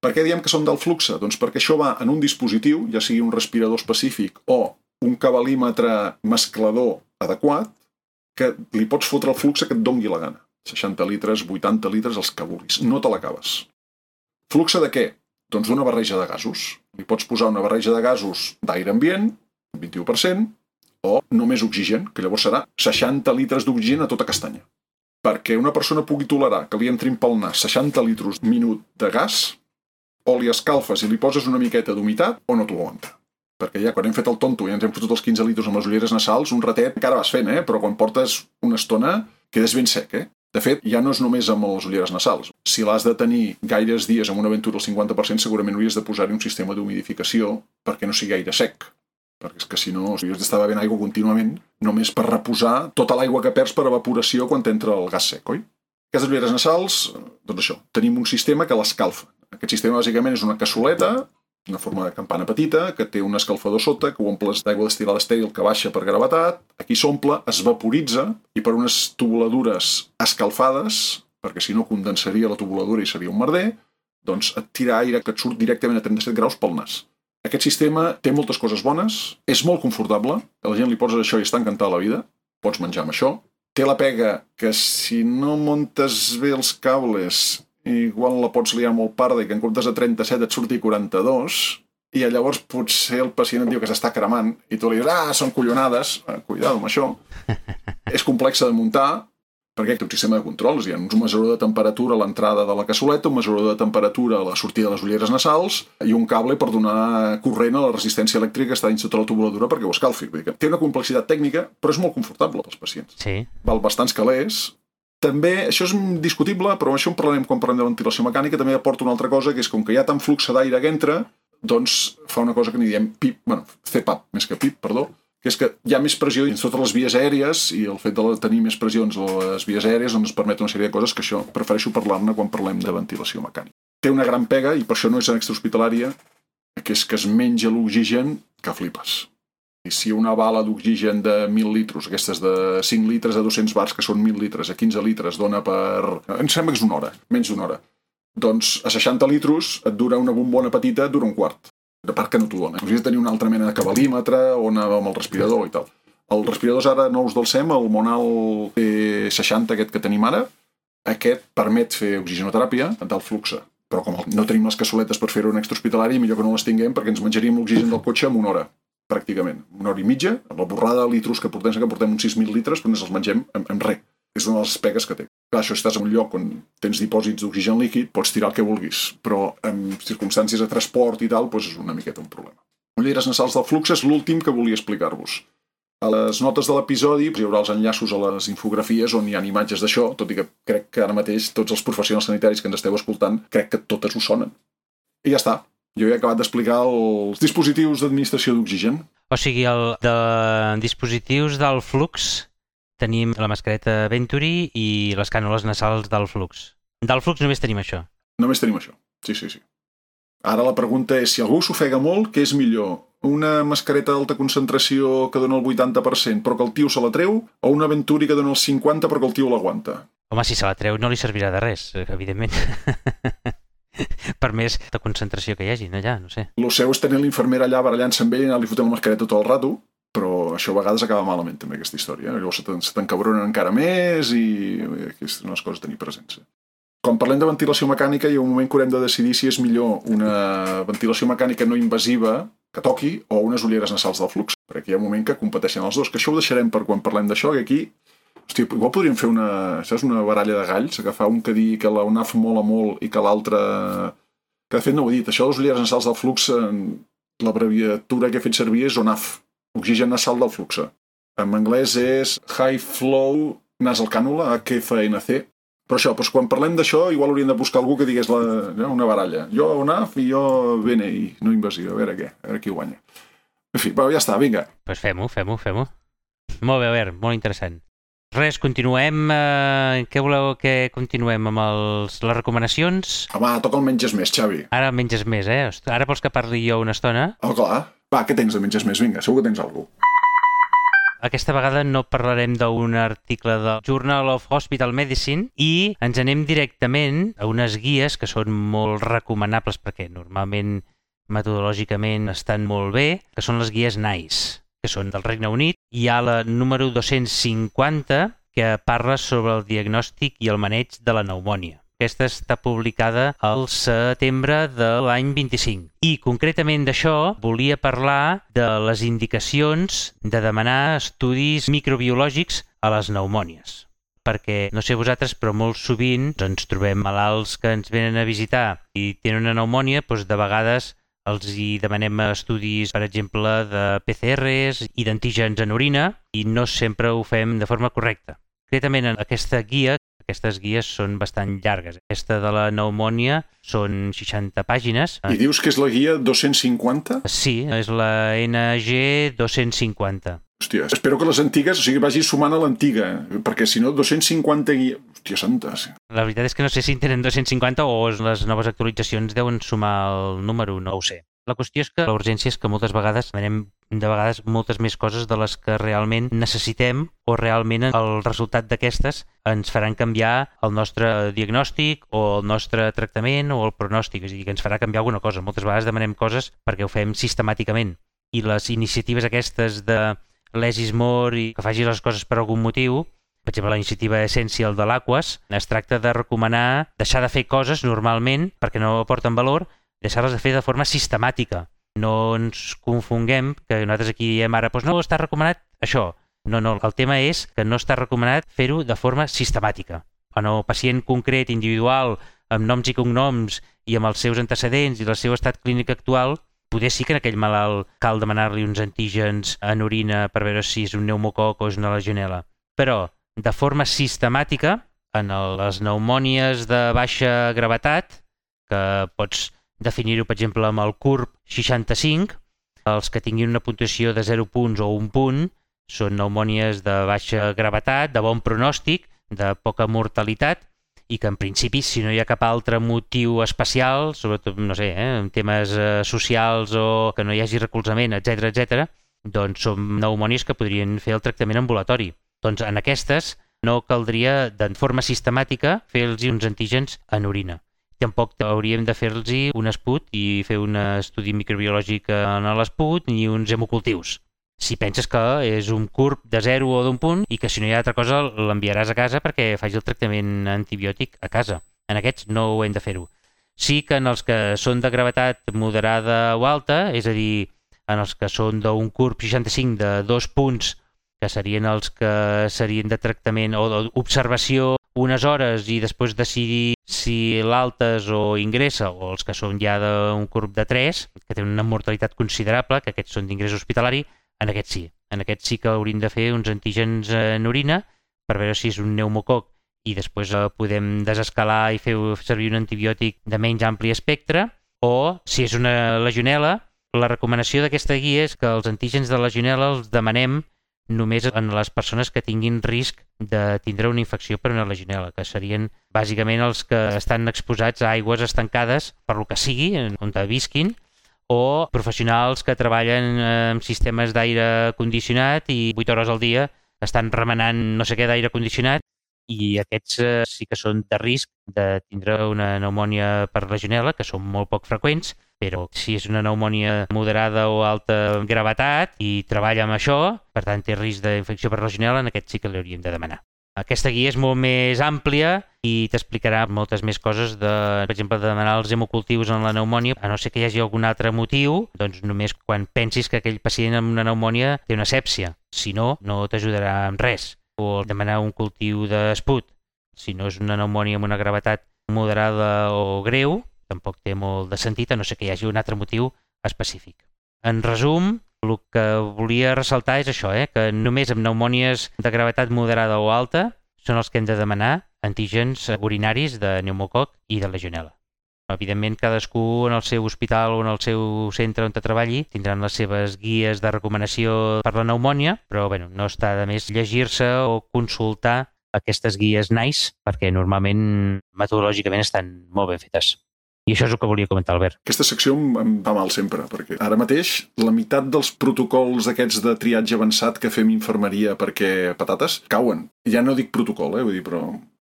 Per què diem que són del Flux? Doncs perquè això va en un dispositiu, ja sigui un respirador específic o un cabalímetre mesclador adequat que li pots fotre el flux que et dongui la gana. 60 litres, 80 litres, els que vulguis. No te l'acabes. Flux de què? Doncs d'una barreja de gasos. Li pots posar una barreja de gasos d'aire ambient, 21%, o només oxigen, que llavors serà 60 litres d'oxigen a tota castanya. Perquè una persona pugui tolerar que li entrin pel nas 60 litres minut de gas, o li escalfes i li poses una miqueta d'humitat, o no t'ho aguanta. Perquè ja quan hem fet el tonto i ens hem fotut els 15 litres amb les ulleres nasals, un ratet encara vas fent, però quan portes una estona quedes ben sec, De fet, ja no és només amb les ulleres nasals. Si l'has de tenir gaires dies amb una aventura al 50%, segurament hauries de posar-hi un sistema d'humidificació perquè no sigui gaire sec. Perquè és que si no, hauries d'estar bevent aigua contínuament només per reposar tota l'aigua que perds per evaporació quan t'entra el gas sec, oi? Aquestes ulleres nasals, doncs això, tenim un sistema que l'escalfa. Aquest sistema bàsicament és una cassoleta, una forma de campana petita, que té un escalfador sota, que ho omples d'aigua destil·lada estèril que baixa per gravetat, aquí s'omple, es vaporitza, i per unes tubuladures escalfades, perquè si no condensaria la tubuladura i seria un merder, doncs et tira aire que et surt directament a 37 graus pel nas. Aquest sistema té moltes coses bones, és molt confortable, a la gent li poses això i està encantada la vida, pots menjar amb això, té la pega que si no muntes bé els cables igual la pots liar molt parda i que en comptes de 37 et surti 42 i llavors potser el pacient et diu que s'està cremant i tu li dius, són collonades, cuidado amb això. És complexa de muntar perquè té un sistema de controls. Hi ha un mesurador de temperatura a l'entrada de la cassoleta, un mesurador de temperatura a la sortida de les ulleres nasals i un cable per donar corrent a la resistència elèctrica que està dins tota la tubuladura perquè ho escalfi. Vull dir que té una complexitat tècnica, però és molt confortable pels pacients. Sí. Val bastants calés. També, això és discutible, però això en parlarem quan parlem de ventilació mecànica, també aporta una altra cosa, que és com que hi ha tant flux d'aire que entra, doncs fa una cosa que n'hi diem CPAP, més que PIP, perdó, que és que hi ha més pressió dins totes les vies aèries i el fet de tenir més pressions a les vies aèries doncs ens permet una sèrie de coses que això prefereixo parlar-ne quan parlem de ventilació mecànica. Té una gran pega, i per això no és en extrahospitalària, que és que es menja l'oxigen que flipes. I si una bala d'oxigen de 1.000 litres, aquestes de 5 litres a 200 bars, que són 1.000 litres, a 15 litres, dona per... Em sembla que és una hora, menys d'una hora. Doncs a 60 litres et dura una bombona petita, et dura un quart. De part que no t'ho dona. Hauries de tenir una altra mena de cabalímetre o anar amb el respirador i tal. Els respiradors ara nous del SEM, el Monal P60 aquest que tenim ara, aquest permet fer oxigenoteràpia d'alt flux. Però com no tenim les cassoletes per fer-ho en extrahospitalari, millor que no les tinguem perquè ens menjaríem l'oxigen del cotxe en una hora. Pràcticament, una hora i mitja, amb la borrada de litros que portem uns 6.000 litres, però ens els mengem amb res. És una de les pegues que té. Clar, això, si estàs en un lloc on tens dipòsits d'oxigen líquid, pots tirar el que vulguis, però en circumstàncies de transport i tal, doncs és una miqueta un problema. Ulleres nasals del flux és l'últim que volia explicar-vos. A les notes de l'episodi hi haurà els enllaços a les infografies on hi ha imatges d'això, tot i que crec que ara mateix tots els professionals sanitaris que ens esteu escoltant, crec que totes ho sonen. I ja està. Jo he acabat d'explicar els dispositius d'administració d'oxigen. O sigui, de dispositius del flux tenim la mascareta Venturi i les cànules nasals del flux. Del flux només tenim això. Només tenim això, sí. Ara la pregunta és, si algú s'ofega molt, què és millor? Una mascareta d'alta concentració que dona el 80% però que el tio se la treu, o una Venturi que dona el 50% però que el tio l'aguanta? Home, si se la treu no li servirà de res, evidentment. Per més de concentració que hi hagi, allà, no sé. Lo seu és tenir l'infermera allà barallant-se amb ell i anar-li fotent la mascareta tot el rato, però això a vegades acaba malament també, aquesta història. Llavors se t'encabronen encara més i aquestes són les coses a tenir presents. Quan parlem de ventilació mecànica hi ha un moment que haurem de decidir si és millor una ventilació mecànica no invasiva que toqui o unes ulleres nasals del flux, perquè hi ha un moment que competeixen els dos, que això ho deixarem per quan parlem d'això, que aquí hòstia, igual podríem fer una baralla de galls, agafar un que digui que la UNAF mola molt i que l'altre... Que de fet no ho he dit, això de les ulleres nasals del flux, l'abreviatura que he fet servir és ONAF, oxigen nasal del flux. En anglès és High Flow Nasal Cannula, HFNC. Però això, doncs quan parlem d'això, igual hauríem de buscar algú que digués una baralla. Jo ONAF i jo BNI, no invasiva, a veure qui guanya. En fi, però ja està, vinga. Doncs fem-ho. Molt bé, Albert, molt interessant. Res, continuem. Què voleu que continuem amb les recomanacions? Home, toca el menges més, Xavi. Ara menges més, Ara vols que parli jo una estona? Oh, clar. Va, què tens de menges més? Vinga, segur que tens alguna cosa. Aquesta vegada no parlarem d'un article del Journal of Hospital Medicine i ens anem directament a unes guies que són molt recomanables perquè normalment metodològicament estan molt bé, que són les guies NICE. que són del Regne Unit. Hi ha la número 250, que parla sobre el diagnòstic i el maneig de la pneumònia. Aquesta està publicada al setembre de l'any 25. I concretament d'això volia parlar de les indicacions de demanar estudis microbiològics a les pneumònies. Perquè, no sé vosaltres, però molt sovint ens trobem malalts que ens venen a visitar i tenen una pneumònia, doncs de vegades els hi demanem estudis, per exemple, de PCRs i d'antígens en orina i no sempre ho fem de forma correcta. Concretament, en aquestes guies són bastant llargues. Aquesta de la pneumònia són 60 pàgines. I dius que és la guia 250? Sí, és la NG 250. Hòstia, espero que les antigues, vagi sumant a l'antiga, perquè si no, 250 guies... Hòstia, santes. La veritat és que no sé si en tenen 250 o les noves actualitzacions deuen sumar el número, no ho sé. La qüestió és que la urgència és que moltes vegades demanem moltes més coses de les que realment necessitem o realment el resultat d'aquestes ens faran canviar el nostre diagnòstic o el nostre tractament o el pronòstic, és a dir, que ens farà canviar alguna cosa. Moltes vegades demanem coses perquè ho fem sistemàticament i les iniciatives aquestes de less is more i que faci les coses per algun motiu, per exemple, la iniciativa Essential de l'Aquas, es tracta de recomanar deixar de fer coses normalment perquè no aporten valor, deixar-les de fer de forma sistemàtica. No ens confonguem que nosaltres aquí diem ara, doncs no, està recomanat això. No, el tema és que no està recomanat fer-ho de forma sistemàtica. En el pacient concret, individual, amb noms i cognoms i amb els seus antecedents i el seu estat clínic actual, potser sí que en aquell malalt cal demanar-li uns antígens en orina per veure si és un pneumococ o és una legionel·la. Però, de forma sistemàtica, en les pneumònies de baixa gravetat, que pots definir-ho, per exemple, amb el CURB 65, els que tinguin una puntuació de 0 punts o 1 punt són pneumònies de baixa gravetat, de bon pronòstic, de poca mortalitat, i que en principi, si no hi ha cap altre motiu especial, sobretot, no sé, en temes socials o que no hi hagi recolzament, etc, doncs són pneumònies que podrien fer el tractament ambulatori. Doncs en aquestes no caldria de forma sistemàtica fer-los uns antígens en orina. Tampoc hauríem de fer-los un esput i fer un estudi microbiològic en l'esput ni uns hemocultius. Si penses que és un CURB de 0 o d'1 punt i que si no hi ha altra cosa l'enviaràs a casa perquè faci el tractament antibiòtic a casa. En aquests no ho hem de fer-ho. Sí que en els que són de gravetat moderada o alta, és a dir, en els que són d'un CURB 65 de 2 punts, que serien els que serien de tractament o d'observació unes hores i després decidir si l'altes o ingressa, o els que són ja d'un CURB de 3, que tenen una mortalitat considerable, que aquests són d'ingrés hospitalari, en aquests sí. En aquests sí que hauríem de fer uns antígens en orina per veure si és un pneumococ i després podem desescalar i fer servir un antibiòtic de menys ampli espectre, o si és una legionel·la, la recomanació d'aquesta guia és que els antígens de legionel·la els demanem només en les persones que tinguin risc de tindre una infecció per una legionel·la, que serien bàsicament els que estan exposats a aigües estancades per lo que sigui, on visquin, o professionals que treballen en sistemes d'aire condicionat i 8 hores al dia estan remenant no sé què d'aire condicionat i aquests sí que són de risc de tindre una pneumònia per legionel·la, que són molt poc freqüents, però si és una pneumònia moderada o alta gravetat i treballa amb això, per tant té risc d'infecció per legionel·la, en aquest sí que l'hauríem de demanar. Aquesta guia és molt més àmplia i t'explicarà moltes més coses, per exemple, de demanar els hemocultius en la pneumònia, a no ser que hi hagi algun altre motiu, doncs només quan pensis que aquell pacient amb una pneumònia té una sèpsia. Si no, no t'ajudarà amb res. O demanar un cultiu d'esput. Si no és una pneumònia amb una gravetat moderada o greu, tampoc té molt de sentit, a no ser que hi hagi un altre motiu específic. En resum, el que volia ressaltar és això, que només amb pneumònies de gravetat moderada o alta són els que hem de demanar antígens urinaris de pneumococ i de legionel·la. Evidentment, cadascú en el seu hospital o en el seu centre on treballi tindran les seves guies de recomanació per la pneumònia, però no està de més llegir-se o consultar aquestes guies NICE perquè normalment metodològicament estan molt ben fetes. I això és el que volia comentar, Albert. Aquesta secció em va mal sempre, perquè ara mateix la meitat dels protocols aquests de triatge avançat que fem infermeria perquè patates cauen. Ja no dic protocol, vull dir, però...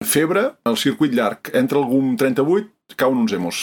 Febre, el circuit llarg, entra algú amb 38, cauen uns hemos.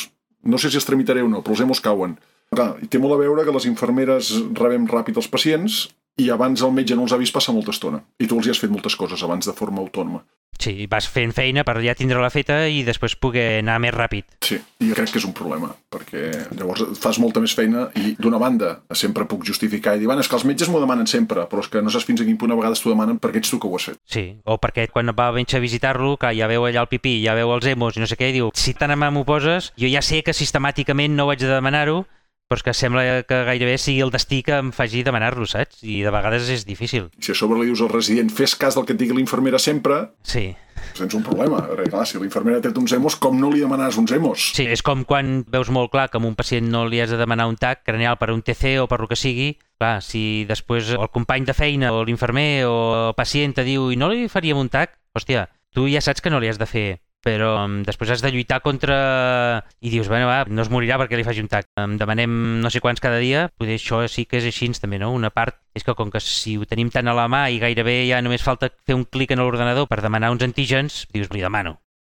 No sé si els tramitaré o no, però els hemos cauen. Clar, i té molt a veure que les infermeres rebem ràpid els pacients i abans el metge no els ha vist passar molta estona. I tu els hi has fet moltes coses abans de forma autònoma. Sí, vas fent feina per ja tindre-la feta i després poder anar més ràpid. Sí, i jo crec que és un problema, perquè llavors fas molta més feina i d'una banda sempre puc justificar i dir, és que els metges m'ho demanen sempre, però és que no saps fins a quin punt a vegades t'ho demanen perquè ets tu que ho has fet. Sí, o perquè quan va venir a visitar-lo, que ja veu allà el pipí, ja veu els hemos i no sé què, i diu, si tan amant m'ho poses, jo ja sé que sistemàticament no ho haig de demanar-ho, però és que sembla que gairebé sigui el destí que em faci demanar-lo, saps? I de vegades és difícil. Si a sobre li dius al resident, fes cas del que et digui l'infermera sempre, sí. Tens un problema. Perquè, clar, si l'infermera té uns hemos, com no li demanaràs uns hemos? Sí, és com quan veus molt clar que a un pacient no li has de demanar un TAC craneal per un TC o per el que sigui. Clar, si després el company de feina o l'infermer o el pacient te diu i no li faríem un TAC, hòstia, tu ja saps que no li has de fer, però després has de lluitar contra... I dius, bueno, va, no es morirà perquè li faci un TAC. Demanem no sé quants cada dia, potser això sí que és així també, no? Una part és que com que si ho tenim tant a la mà i gairebé ja només falta fer un clic en l'ordenador per demanar uns antígens, dius, li demano.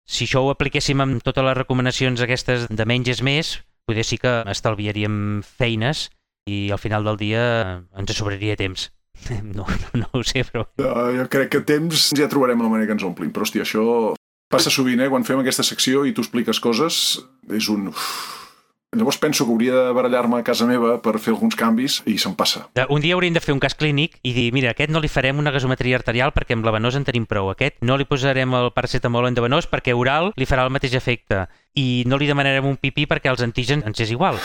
Si això ho apliquéssim amb totes les recomanacions aquestes de menys és més, potser sí que estalviaríem feines i al final del dia ens sobraria temps. No ho sé, però... Jo crec que temps ja trobarem la manera que ens omplim, però hòstia, això... Passa sovint, quan fem aquesta secció i tu expliques coses, és un... Llavors penso que hauria de barallar-me a casa meva per fer alguns canvis i se'm passa. Un dia hauríem de fer un cas clínic i dir, mira, aquest no li farem una gasometria arterial perquè amb la venosa en tenim prou. Aquest no li posarem el paracetamol endovenós perquè oral li farà el mateix efecte. I no li demanarem un pipí perquè els antígens ens és igual.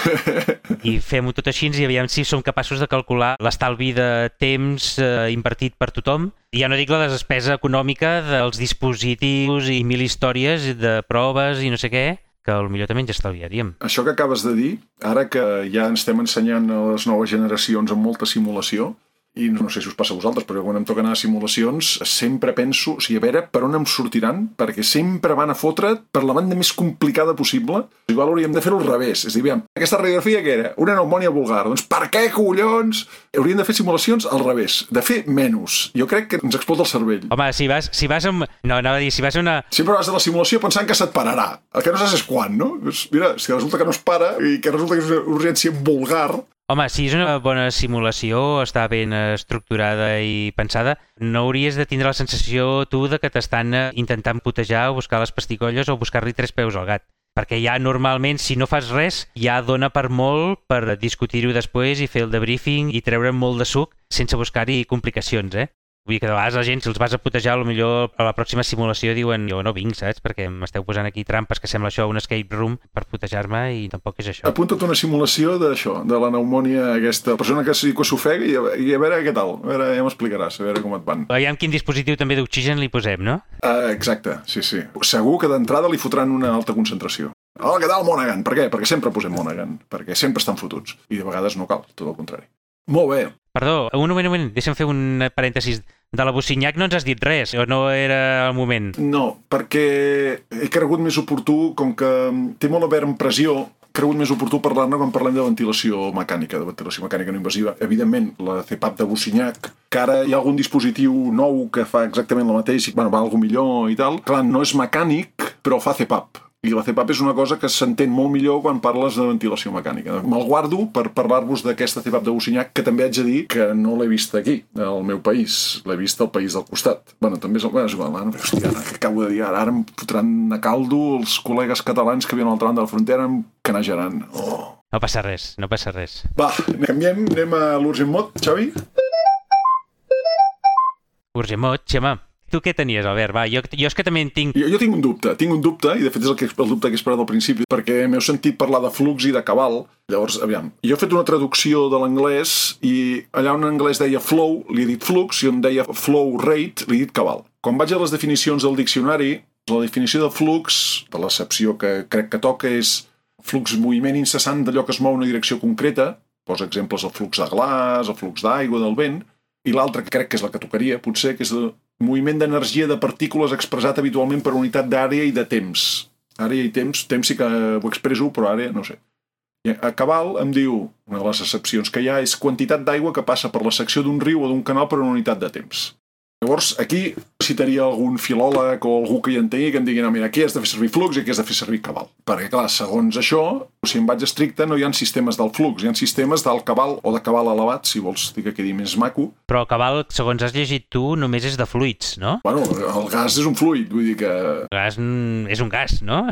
I fem-ho tot així i aviam si som capaços de calcular l'estalvi de temps invertit per tothom. I ja no dic la despesa econòmica dels dispositius i mil històries de proves i no sé què, que potser també ens estalviaríem. Això que acabes de dir, ara que ja ens estem ensenyant a les noves generacions amb molta simulació, i no sé si us passa a vosaltres, però quan em toca anar a simulacions sempre penso, a veure per on em sortiran, perquè sempre van a fotre't per la banda més complicada possible. Igual hauríem de fer-ho al revés. És a dir, aviam, aquesta radiografia què era? Una pneumònia vulgar. Doncs per què, collons? Hauríem de fer simulacions al revés, de fer menys. Jo crec que ens explota el cervell. Home, si vas amb... No, anava a dir, si vas a una... Sempre vas a la simulació pensant que se't pararà. El que no saps és quan, no? Doncs mira, si resulta que no es para i que resulta que és una urgència vulgar... Home, si és una bona simulació, està ben estructurada i pensada, no hauries de tindre la sensació tu de que t'estan intentant putejar o buscar les pasticolles o buscar-li 3 peus al gat. Perquè ja normalment, si no fas res, ja dona per molt per discutir-ho després i fer el debriefing i treure molt de suc sense buscar-hi complicacions, Vull dir que de vegades la gent, si els vas a putejar, potser a la pròxima simulació diuen jo no vinc, saps? Perquè m'esteu posant aquí trampes que sembla això un escape room per putejar-me i tampoc és això. Apunta't una simulació d'això, de la pneumònia aquesta, persona que s'ofega i a veure què tal, a veure, ja m'explicaràs, a veure com et van. Aviam quin dispositiu també d'oxigen li posem, no? Exacte, sí. Segur que d'entrada li fotran una alta concentració. Hola, què tal, Monaghan? Per què? Perquè sempre posem Monaghan, perquè sempre estan fotuts. I de vegades no cal, tot el contrari. Molt bé. Perdó, un moment, deixa'm fer un parèntesis. De la Bucinyac no ens has dit res, o no era el moment? No, perquè he cregut més oportú, com que té molt a veure amb pressió, he cregut més oportú parlar-ne quan parlem de ventilació mecànica no invasiva. Evidentment, la CPAP de Bucinyac, que ara hi ha algun dispositiu nou que fa exactament el mateix, va alguna millor i tal. Clar, no és mecànic, però fa CPAP. I la CPAP és una cosa que s'entén molt millor quan parles de ventilació mecànica. Me'l guardo per parlar-vos d'aquesta CPAP de Bucinyac, que també haig de dir que no l'he vist aquí, al meu país. L'he vist al país del costat. També és igual. Hòstia, què acabo de dir ara? Ara em fotran a caldo els col·legues catalans que viuen a l'altra banda de la frontera, em canejaran. Oh. No passa res. Va, canviem, anem a l'Urgent Mod, Xavi? Urgent Mod, Xema. Tu què tenies, Albert? Va, jo és que també en tinc... Jo tinc un dubte, i de fet és el dubte que he esperat al principi, perquè m'heu sentit parlar de flux i de cabal. Llavors, aviam, jo he fet una traducció de l'anglès i allà on en anglès deia flow, li he dit flux, i on deia flow rate, li he dit cabal. Quan vaig a les definicions del diccionari, la definició de flux, de l'accepció que crec que toca, és flux moviment incessant d'allò que es mou en una direcció concreta, posa exemples el flux de glaç, el flux d'aigua, del vent, i l'altra, que crec que és la que tocaria, potser, que és el moviment d'energia de partícules expressat habitualment per unitat d'àrea i de temps. Àrea i temps sí que ho expresso, però àrea no sé. I a cabal em diu, una de les excepcions que hi ha és quantitat d'aigua que passa per la secció d'un riu o d'un canal per una unitat de temps. Llavors, aquí citaria algun filòleg o algú que hi entengui que em digui, no, mira, aquí has de fer servir flux i aquí has de fer servir cabal. Perquè, clar, segons això, si em vaig estricte, no hi ha sistemes del flux, hi ha sistemes del cabal o de cabal elevat, si vols dir que quedi més maco. Però cabal, segons has llegit tu, només és de fluids, no? Bueno, el gas és un fluid, vull dir que... El gas és un gas, no?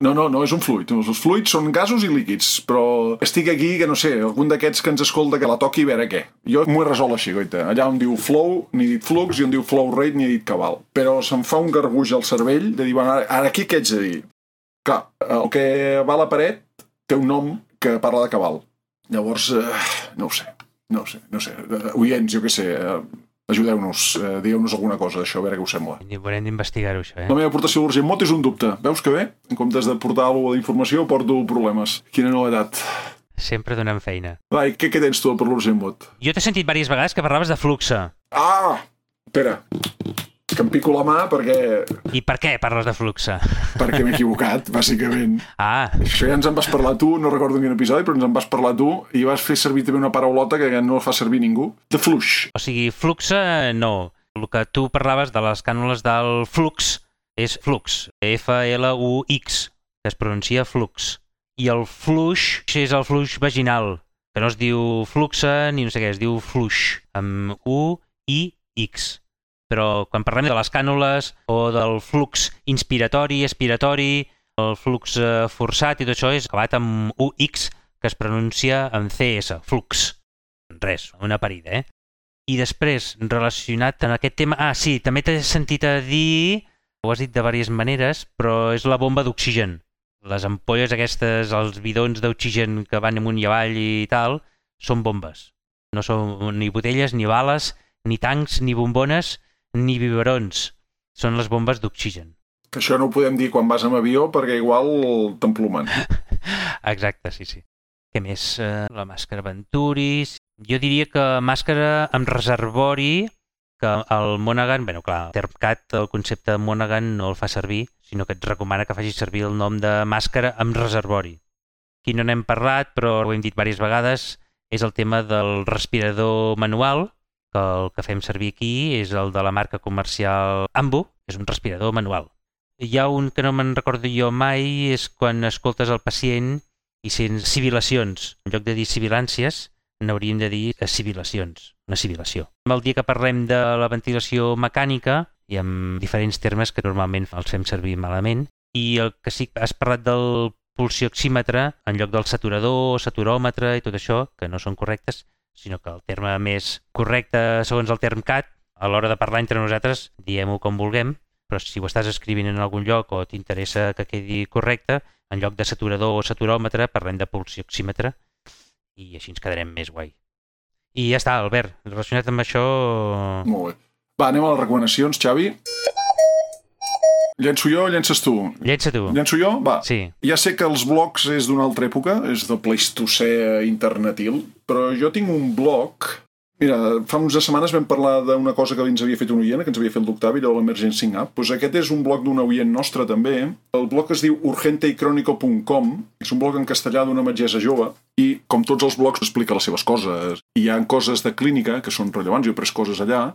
No és un fluid. Els fluids són gasos i líquids, però estic aquí que, no sé, algun d'aquests que ens escolta que la toqui a veure què. Jo m'ho he resolt així, goita. Allà on diu flow, n'he dit flux, i on diu flow rate, n'he dit cabal. Però se'm fa un garbuix al cervell de dir, bueno, ara aquí què haig de dir? Clar, el que va a la paret té un nom que parla de cabal. Llavors, no ho sé. Oients, jo què sé, ajudeu-nos, digueu-nos alguna cosa d'això, a veure què us sembla. Haurem d'investigar-ho, això, La meva aportació a l'Urgent Mot és un dubte. Veus que bé? En comptes de portar alguna d'informació, porto problemes. Quina novetat. Sempre donant feina. Va, i què tens tu per l'Urgent Mot? Jo t'he sentit diverses vegades que parlaves de fluxe. Ah! Espera, que em pico la mà perquè... I per què parles de fluxe? Perquè m'he equivocat, bàsicament. Ah. Això ja ens en vas parlar tu, no recordo en quin episodi, però ens en vas parlar tu i vas fer servir també una paraulota que no fa servir ningú. De fluix. O sigui, fluxe no. El que tu parlaves de les cànules del flux és flux. F-L-U-X, que es pronuncia flux. I el fluix és el flux vaginal, que no es diu fluxe ni no sé què, es diu fluix, amb U-I-X. Però quan parlem de les cànules o del flux inspiratori, expiratori, el flux forçat i tot això és acabat amb UX, que es pronuncia en CS, flux. Res, una parida, I després, relacionat amb aquest tema... Ah, sí, també t'he sentit a dir, ho has dit de diverses maneres, però és la bomba d'oxigen. Les ampolles aquestes, els bidons d'oxigen que van amunt i avall i tal, són bombes. No són ni botelles, ni bales, ni tancs, ni bombones, ni biberons. Són les bombes d'oxigen. Que això no ho podem dir quan vas amb avió perquè igual t'emplumen. Exacte, sí. Què més? La màscara Venturi. Jo diria que màscara amb reservori, que el Monaghan, clar, Termcat, el concepte Monaghan no el fa servir, sinó que et recomana que facis servir el nom de màscara amb reservori. Aquí no n'hem parlat, però ho hem dit diverses vegades, és el tema del respirador manual, que el que fem servir aquí és el de la marca comercial Ambu, que és un respirador manual. Hi ha un que no me'n recordo jo mai, és quan escoltes el pacient i sents sibilacions. En lloc de dir sibilàncies, n'hauríem de dir sibilacions, una sibilació. El dia que parlem de la ventilació mecànica, i amb diferents termes que normalment els fem servir malament, i el que sí que has parlat del pulsioxímetre, en lloc del saturador, saturòmetre i tot això, que no són correctes, sinó que el terme més correcte, segons el Termcat, a l'hora de parlar entre nosaltres, diem-ho com vulguem, però si ho estàs escrivint en algun lloc o t'interessa que quedi correcte, en lloc de saturador o saturòmetre, parlem de pulsioxímetre i així ens quedarem més guai. I ja està, Albert, relacionat amb això... Molt bé. Va, anem a les recomanacions, Xavi. Llenço jo o llences tu? Llença tu. Llenço jo? Va. Sí. Ja sé que els blogs és d'una altra època, és del Pleistocè internetil, però jo tinc un blog... Mira, fa unes setmanes vam parlar d'una cosa que ens havia fet un oient, que ens havia fet l'Octavi, de l'Emergency App. Pues aquest és un blog d'un oient nostre, també. El blog es diu urgenteycronico.com, és un blog en castellà d'una metgessa jove, i, com tots els blogs, explica les seves coses. Hi ha coses de clínica, que són rellevants, jo he pres coses allà,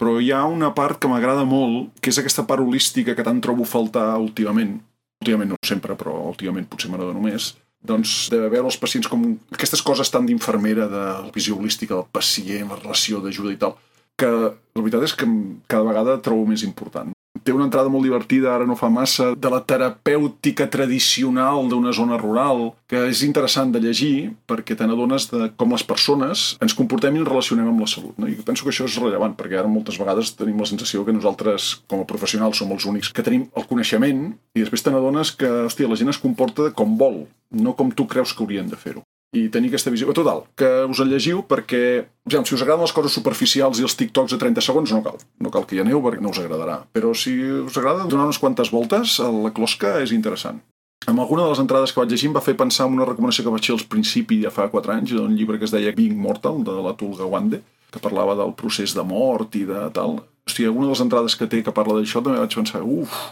però hi ha una part que m'agrada molt, que és aquesta part holística que tant trobo faltar últimament. Últimament no sempre, però últimament potser m'agrada només. Doncs de veure els pacients com aquestes coses tan d'infermera, de la visió holística del pacient, la relació d'ajuda i tal, que la veritat és que cada vegada trobo més important. Té una entrada molt divertida, ara no fa massa, de la terapèutica tradicional d'una zona rural, que és interessant de llegir perquè te n'adones de com les persones ens comportem i ens relacionem amb la salut. No? I penso que això és rellevant, perquè ara moltes vegades tenim la sensació que nosaltres, com a professionals, som els únics que tenim el coneixement i després te n'adones que, hòstia, la gent es comporta com vol, no com tu creus que haurien de fer-ho. I tenir aquesta visió. Total, que us el llegiu perquè, ja, si us agraden les coses superficials i els TikToks de 30 segons, no cal que hi aneu perquè no us agradarà. Però si us agrada donar unes quantes voltes a la closca és interessant. Amb alguna de les entrades que vaig llegir em va fer pensar en una recomanació que vaig fer al principi ja fa 4 anys, d'un llibre que es deia Being Mortal, de l'Atul Gawande, que parlava del procés de mort i de tal. Hosti, alguna de les entrades que té que parla d'això també vaig pensar,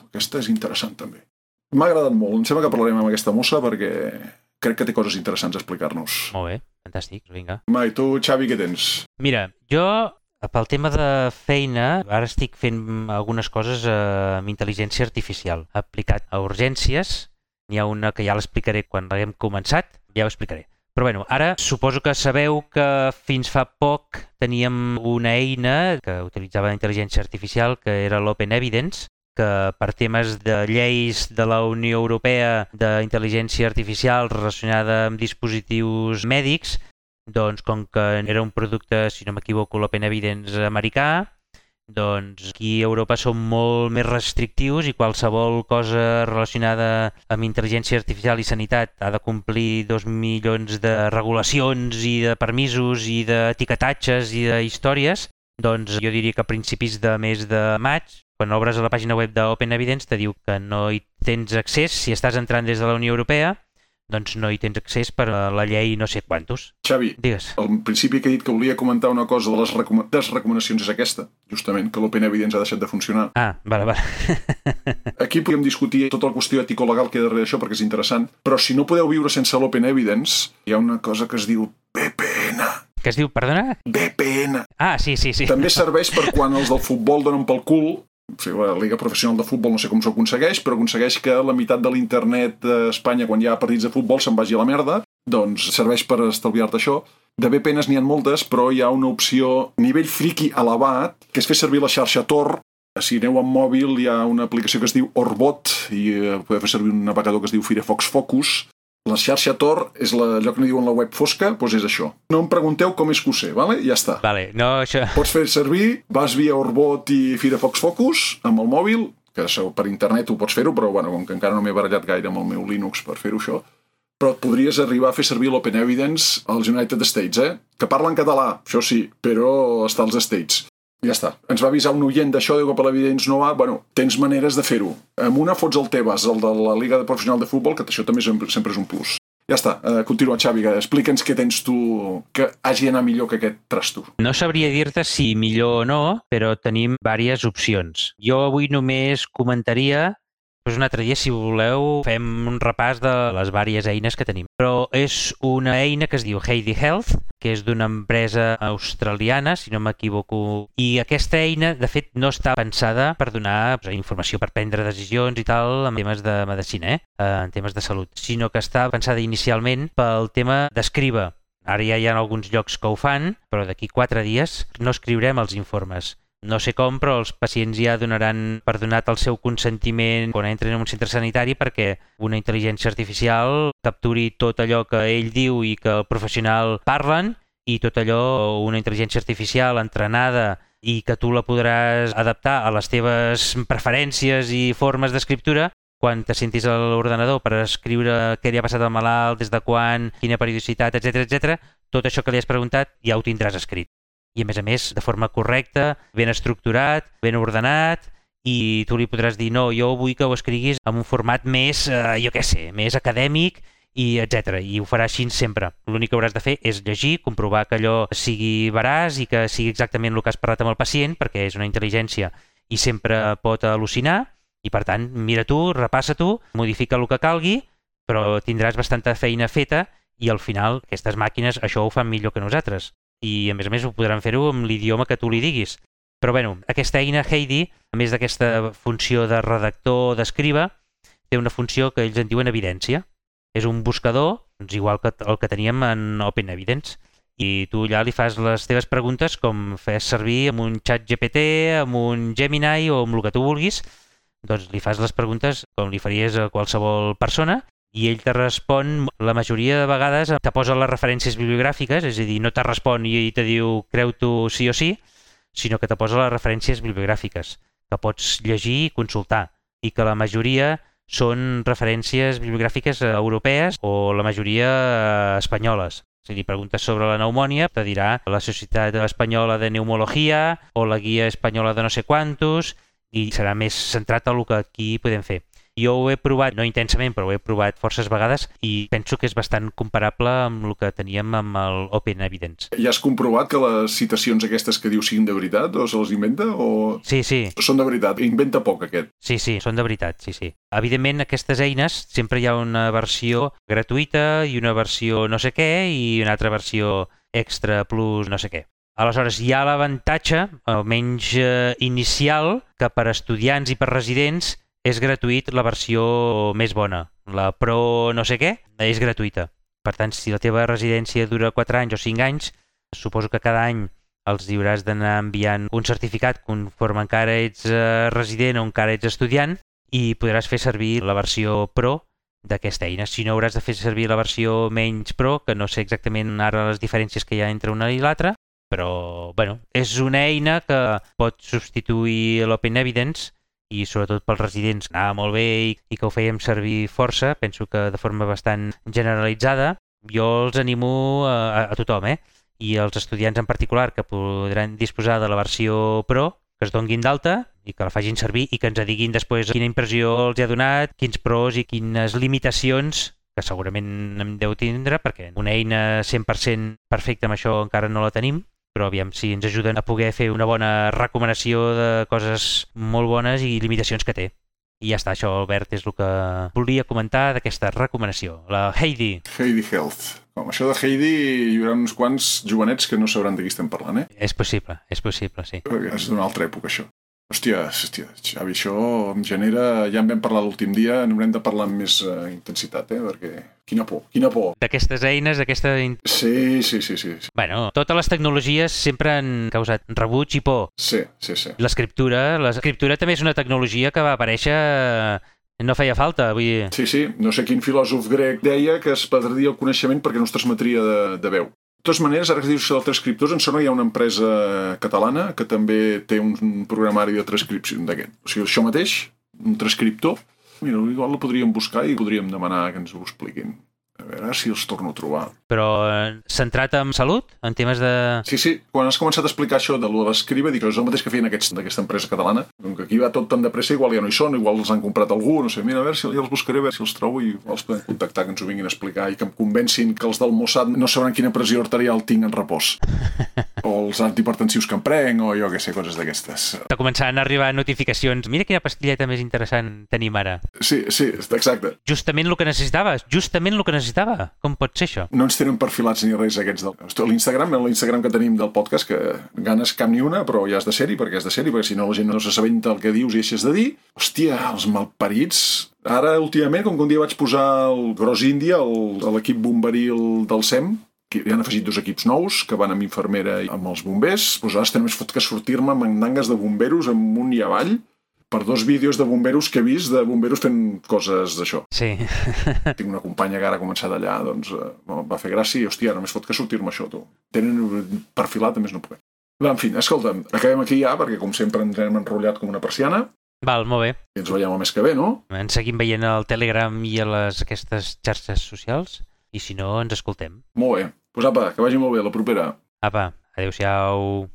aquesta és interessant també. M'ha agradat molt, em sembla que parlarem amb aquesta mossa perquè crec que té coses interessants a explicar-nos. Molt bé, fantàstic, vinga. I tu, Xavi, què tens? Mira, jo Pel tema de feina, ara estic fent algunes coses amb intel·ligència artificial aplicat a urgències. N'hi ha una que ja l'explicaré quan l'haguem començat, ja ho explicaré. Però bueno, ara suposo que sabeu que fins fa poc teníem una eina que utilitzava intel·ligència artificial que era l'Open Evidence, que per temes de lleis de la Unió Europea d'intel·ligència artificial relacionada amb dispositius mèdics, doncs com que era un producte, si no m'equivoco, l'Open Evidence americà, doncs aquí a Europa som molt més restrictius i qualsevol cosa relacionada amb intel·ligència artificial i sanitat ha de complir 2 milions de regulacions i de permisos i d'etiquetatges i d'històries. Doncs jo diria que a principis de mes de maig, quan obres a la pàgina web d'Open Evidence, te diu que no hi tens accés, si estàs entrant des de la Unió Europea, doncs no hi tens accés per a la llei no sé quantos. Xavi, digues. Al principi que he dit que volia comentar una cosa de les recomanacions és aquesta, justament, que l'Open Evidence ha deixat de funcionar. Vale. Aquí podem discutir tota la qüestió ètico-legal que hi ha darrere d'això perquè és interessant, però si no podeu viure sense l'Open Evidence, hi ha una cosa que es diu VPN. Què es diu, perdona? VPN. Sí. També serveix per quan els del futbol donen pel cul. La Liga Professional de Futbol no sé com s'ho aconsegueix, però aconsegueix que la meitat de l'internet d'Espanya, quan hi ha partits de futbol, se'n vagi a la merda. Doncs serveix per estalviar-te això. De VPNs n'hi ha moltes, però hi ha una opció nivell friki elevat, que és fer servir la xarxa Tor. Si aneu amb mòbil hi ha una aplicació que es diu Orbot i podeu fer servir un navegador que es diu Firefox Focus. La xarxa Tor és allò que n'hi diuen la web fosca, doncs és això. No em pregunteu com és que ho sé, vale? Ja està. Vale, no, això... Pots fer servir, vas via Orbot i Firefox Focus amb el mòbil, que per internet ho pots fer-ho, però bueno, com que encara no m'he barallat gaire amb el meu Linux per fer-ho això, però et podries arribar a fer servir l'Open Evidence als United States, que parlen català, això sí, però està als States. Ja està. Ens va avisar un oient d'això, diu que per l'Evidence no va. Bueno, tens maneres de fer-ho. Amb una fots el Tebas, el de la Liga Professional de Futbol, que això també sempre és un plus. Ja està. Continua, Xavi, explica'ns què tens tu que hagi d'anar millor que aquest trasto. No sabria dir-te si millor o no, però tenim diverses opcions. Jo avui només comentaria... Doncs un altre dia, si voleu, fem un repàs de les diverses eines que tenim. Però és una eina que es diu Heidi Health, que és d'una empresa australiana, si no m'equivoco. I aquesta eina, de fet, no està pensada per donar informació per prendre decisions i tal en temes de medicina, en temes de salut, sinó que està pensada inicialment pel tema d'escriure. Ara ja hi ha alguns llocs que ho fan, però d'aquí 4 dies no escriurem els informes. No sé com, però els pacients ja donaran per donat el seu consentiment quan entren en un centre sanitari perquè una intel·ligència artificial capturi tot allò que ell diu i que el professional parlen i tot allò, una intel·ligència artificial entrenada i que tu la podràs adaptar a les teves preferències i formes d'escriptura quan te sentis a l'ordenador per escriure què li ha passat al malalt, des de quan, quina periodicitat, etc. Tot això que li has preguntat ja ho tindràs escrit. I a més, de forma correcta, ben estructurat, ben ordenat, i tu li podràs dir, no, jo vull que ho escriguis en un format més, més acadèmic, i etc. I ho farà així sempre. L'únic que hauràs de fer és llegir, comprovar que allò sigui veraç i que sigui exactament el que has parlat amb el pacient, perquè és una intel·ligència i sempre pot al·lucinar, i per tant, mira tu, repassa tu, modifica el que calgui, però tindràs bastanta feina feta i al final aquestes màquines això ho fan millor que nosaltres. I a més ho podran fer-ho amb l'idioma que tu li diguis. Però bueno, aquesta eina Heidi, a més d'aquesta funció de redactor o d'escriba, té una funció que ells en diuen evidència. És un buscador, doncs igual que el que teníem en Open Evidence, i tu allà li fas les teves preguntes com fes servir amb un xat GPT, amb un Gemini o amb el que tu vulguis, doncs li fas les preguntes com li faries a qualsevol persona i ell te respon, la majoria de vegades te posa les referències bibliogràfiques, és a dir, no te respon i te diu creu-t'ho sí o sí, sinó que te posa les referències bibliogràfiques que pots llegir i consultar i que la majoria són referències bibliogràfiques europees o la majoria espanyoles. Si li preguntes sobre la pneumònia, te dirà la Societat Espanyola de Pneumologia o la Guia Espanyola de no sé quantos i serà més centrat a el que aquí podem fer. Jo ho he provat, no intensament, però ho he provat forces vegades i penso que és bastant comparable amb el que teníem amb el Open Evidence. Ja has comprovat que les citacions aquestes que diu siguin de veritat o se les inventa? O... Sí. Són de veritat, inventa poc aquest. Sí, són de veritat, sí. Evidentment, aquestes eines sempre hi ha una versió gratuïta i una versió no sé què i una altra versió extra plus no sé què. Aleshores, hi ha l'avantatge, almenys inicial, que per estudiants i per residents és gratuït la versió més bona. La Pro no sé què és gratuïta. Per tant, si la teva residència dura 4 anys o 5 anys, suposo que cada any els hauràs d'anar enviant un certificat conforme encara ets resident o encara ets estudiant i podràs fer servir la versió Pro d'aquesta eina. Si no, hauràs de fer servir la versió menys Pro, que no sé exactament ara les diferències que hi ha entre una i l'altra, però bueno, és una eina que pot substituir l'Open Evidence i sobretot pels residents anava molt bé i que ho fèiem servir força, penso que de forma bastant generalitzada. Jo els animo a tothom, i els estudiants en particular que podran disposar de la versió Pro, que es donguin d'alta i que la facin servir i que ens diguin després quina impressió els ha donat, quins pros i quines limitacions, que segurament en deu tindre, perquè una eina 100% perfecta amb això encara no la tenim, però aviam si ens ajuden a poder fer una bona recomanació de coses molt bones i limitacions que té. I ja està, això, Albert, és el que volia comentar d'aquesta recomanació. La Heidi. Heidi Health. Com això de Heidi, hi haurà uns quants jovenets que no sabran de qui estem parlant, És possible, sí. Perquè és d'una altra època, això. Hòstia, Xavi, això em genera... Ja en vam parlar l'últim dia, n'haurem de parlar amb més intensitat, perquè... Quina por. D'aquestes eines, Sí. Bueno, totes les tecnologies sempre han causat rebuig i por. Sí. L'escriptura també és una tecnologia que va aparèixer... No feia falta, vull dir... Sí, no sé quin filòsof grec deia que es perdria el coneixement perquè no es transmetria de veu. De totes maneres, ara que dius de transcriptors, em sembla que hi ha una empresa catalana que també té un programari de transcripció d'aquest. O sigui, això mateix, un transcriptor, mira, igual la podríem buscar i podríem demanar que ens ho expliquin. A veure si els torno a trobar. Però centrat en salut? En temes de... Sí. Quan has començat a explicar això de l'escriba, dic que és el mateix que feien d'aquesta empresa catalana. Com que aquí va tot tan de pressa, igual ja no hi són, igual els han comprat algú, no sé. Mira, a veure si ja els buscaré, a veure si els trobo i els podem contactar, que ens ho vinguin a explicar i que em convencin que els del Mossad no sabran quina pressió arterial tinc en repòs. O els antihipertensius que em prenc, o jo què sé, coses d'aquestes. Està començant a arribar notificacions. Mira quina pastilleta més interessant tenim ara. Sí, exacte. Justament el que necessitaves. Com pot ser això? No ens tenen perfilats ni res aquests l'Instagram que tenim del podcast, que ganes cap ni una, però ja has de ser-hi, perquè si no la gent no s'assabenta el que dius i deixes de dir. Hòstia, els malparits. Ara, últimament, com que un dia vaig posar el Gros Índia, l'equip bomberil del SEM, que hi han afegit 2 equips nous, que van amb infermera i amb els bombers, doncs ara estem més fot que sortir-me amb mandangues de bomberos amunt i avall, per 2 vídeos de bomberos que he vist, de bomberos fent coses d'això. Sí. Tinc una companya que ara ha començat allà, doncs va fer gràcia i, hòstia, només fot que sortir-me això, tu. Tenen perfilat, a més no puc. En fi, escolta'm, acabem aquí ja, perquè com sempre ens hem enrotllat com una persiana. Val, molt bé. I ens veiem el mes que ve, no? Ens seguim veient al Telegram i a aquestes xarxes socials, i si no, ens escoltem. Molt bé. Doncs apa, que vagi molt bé, la propera. Apa, adéu-siau.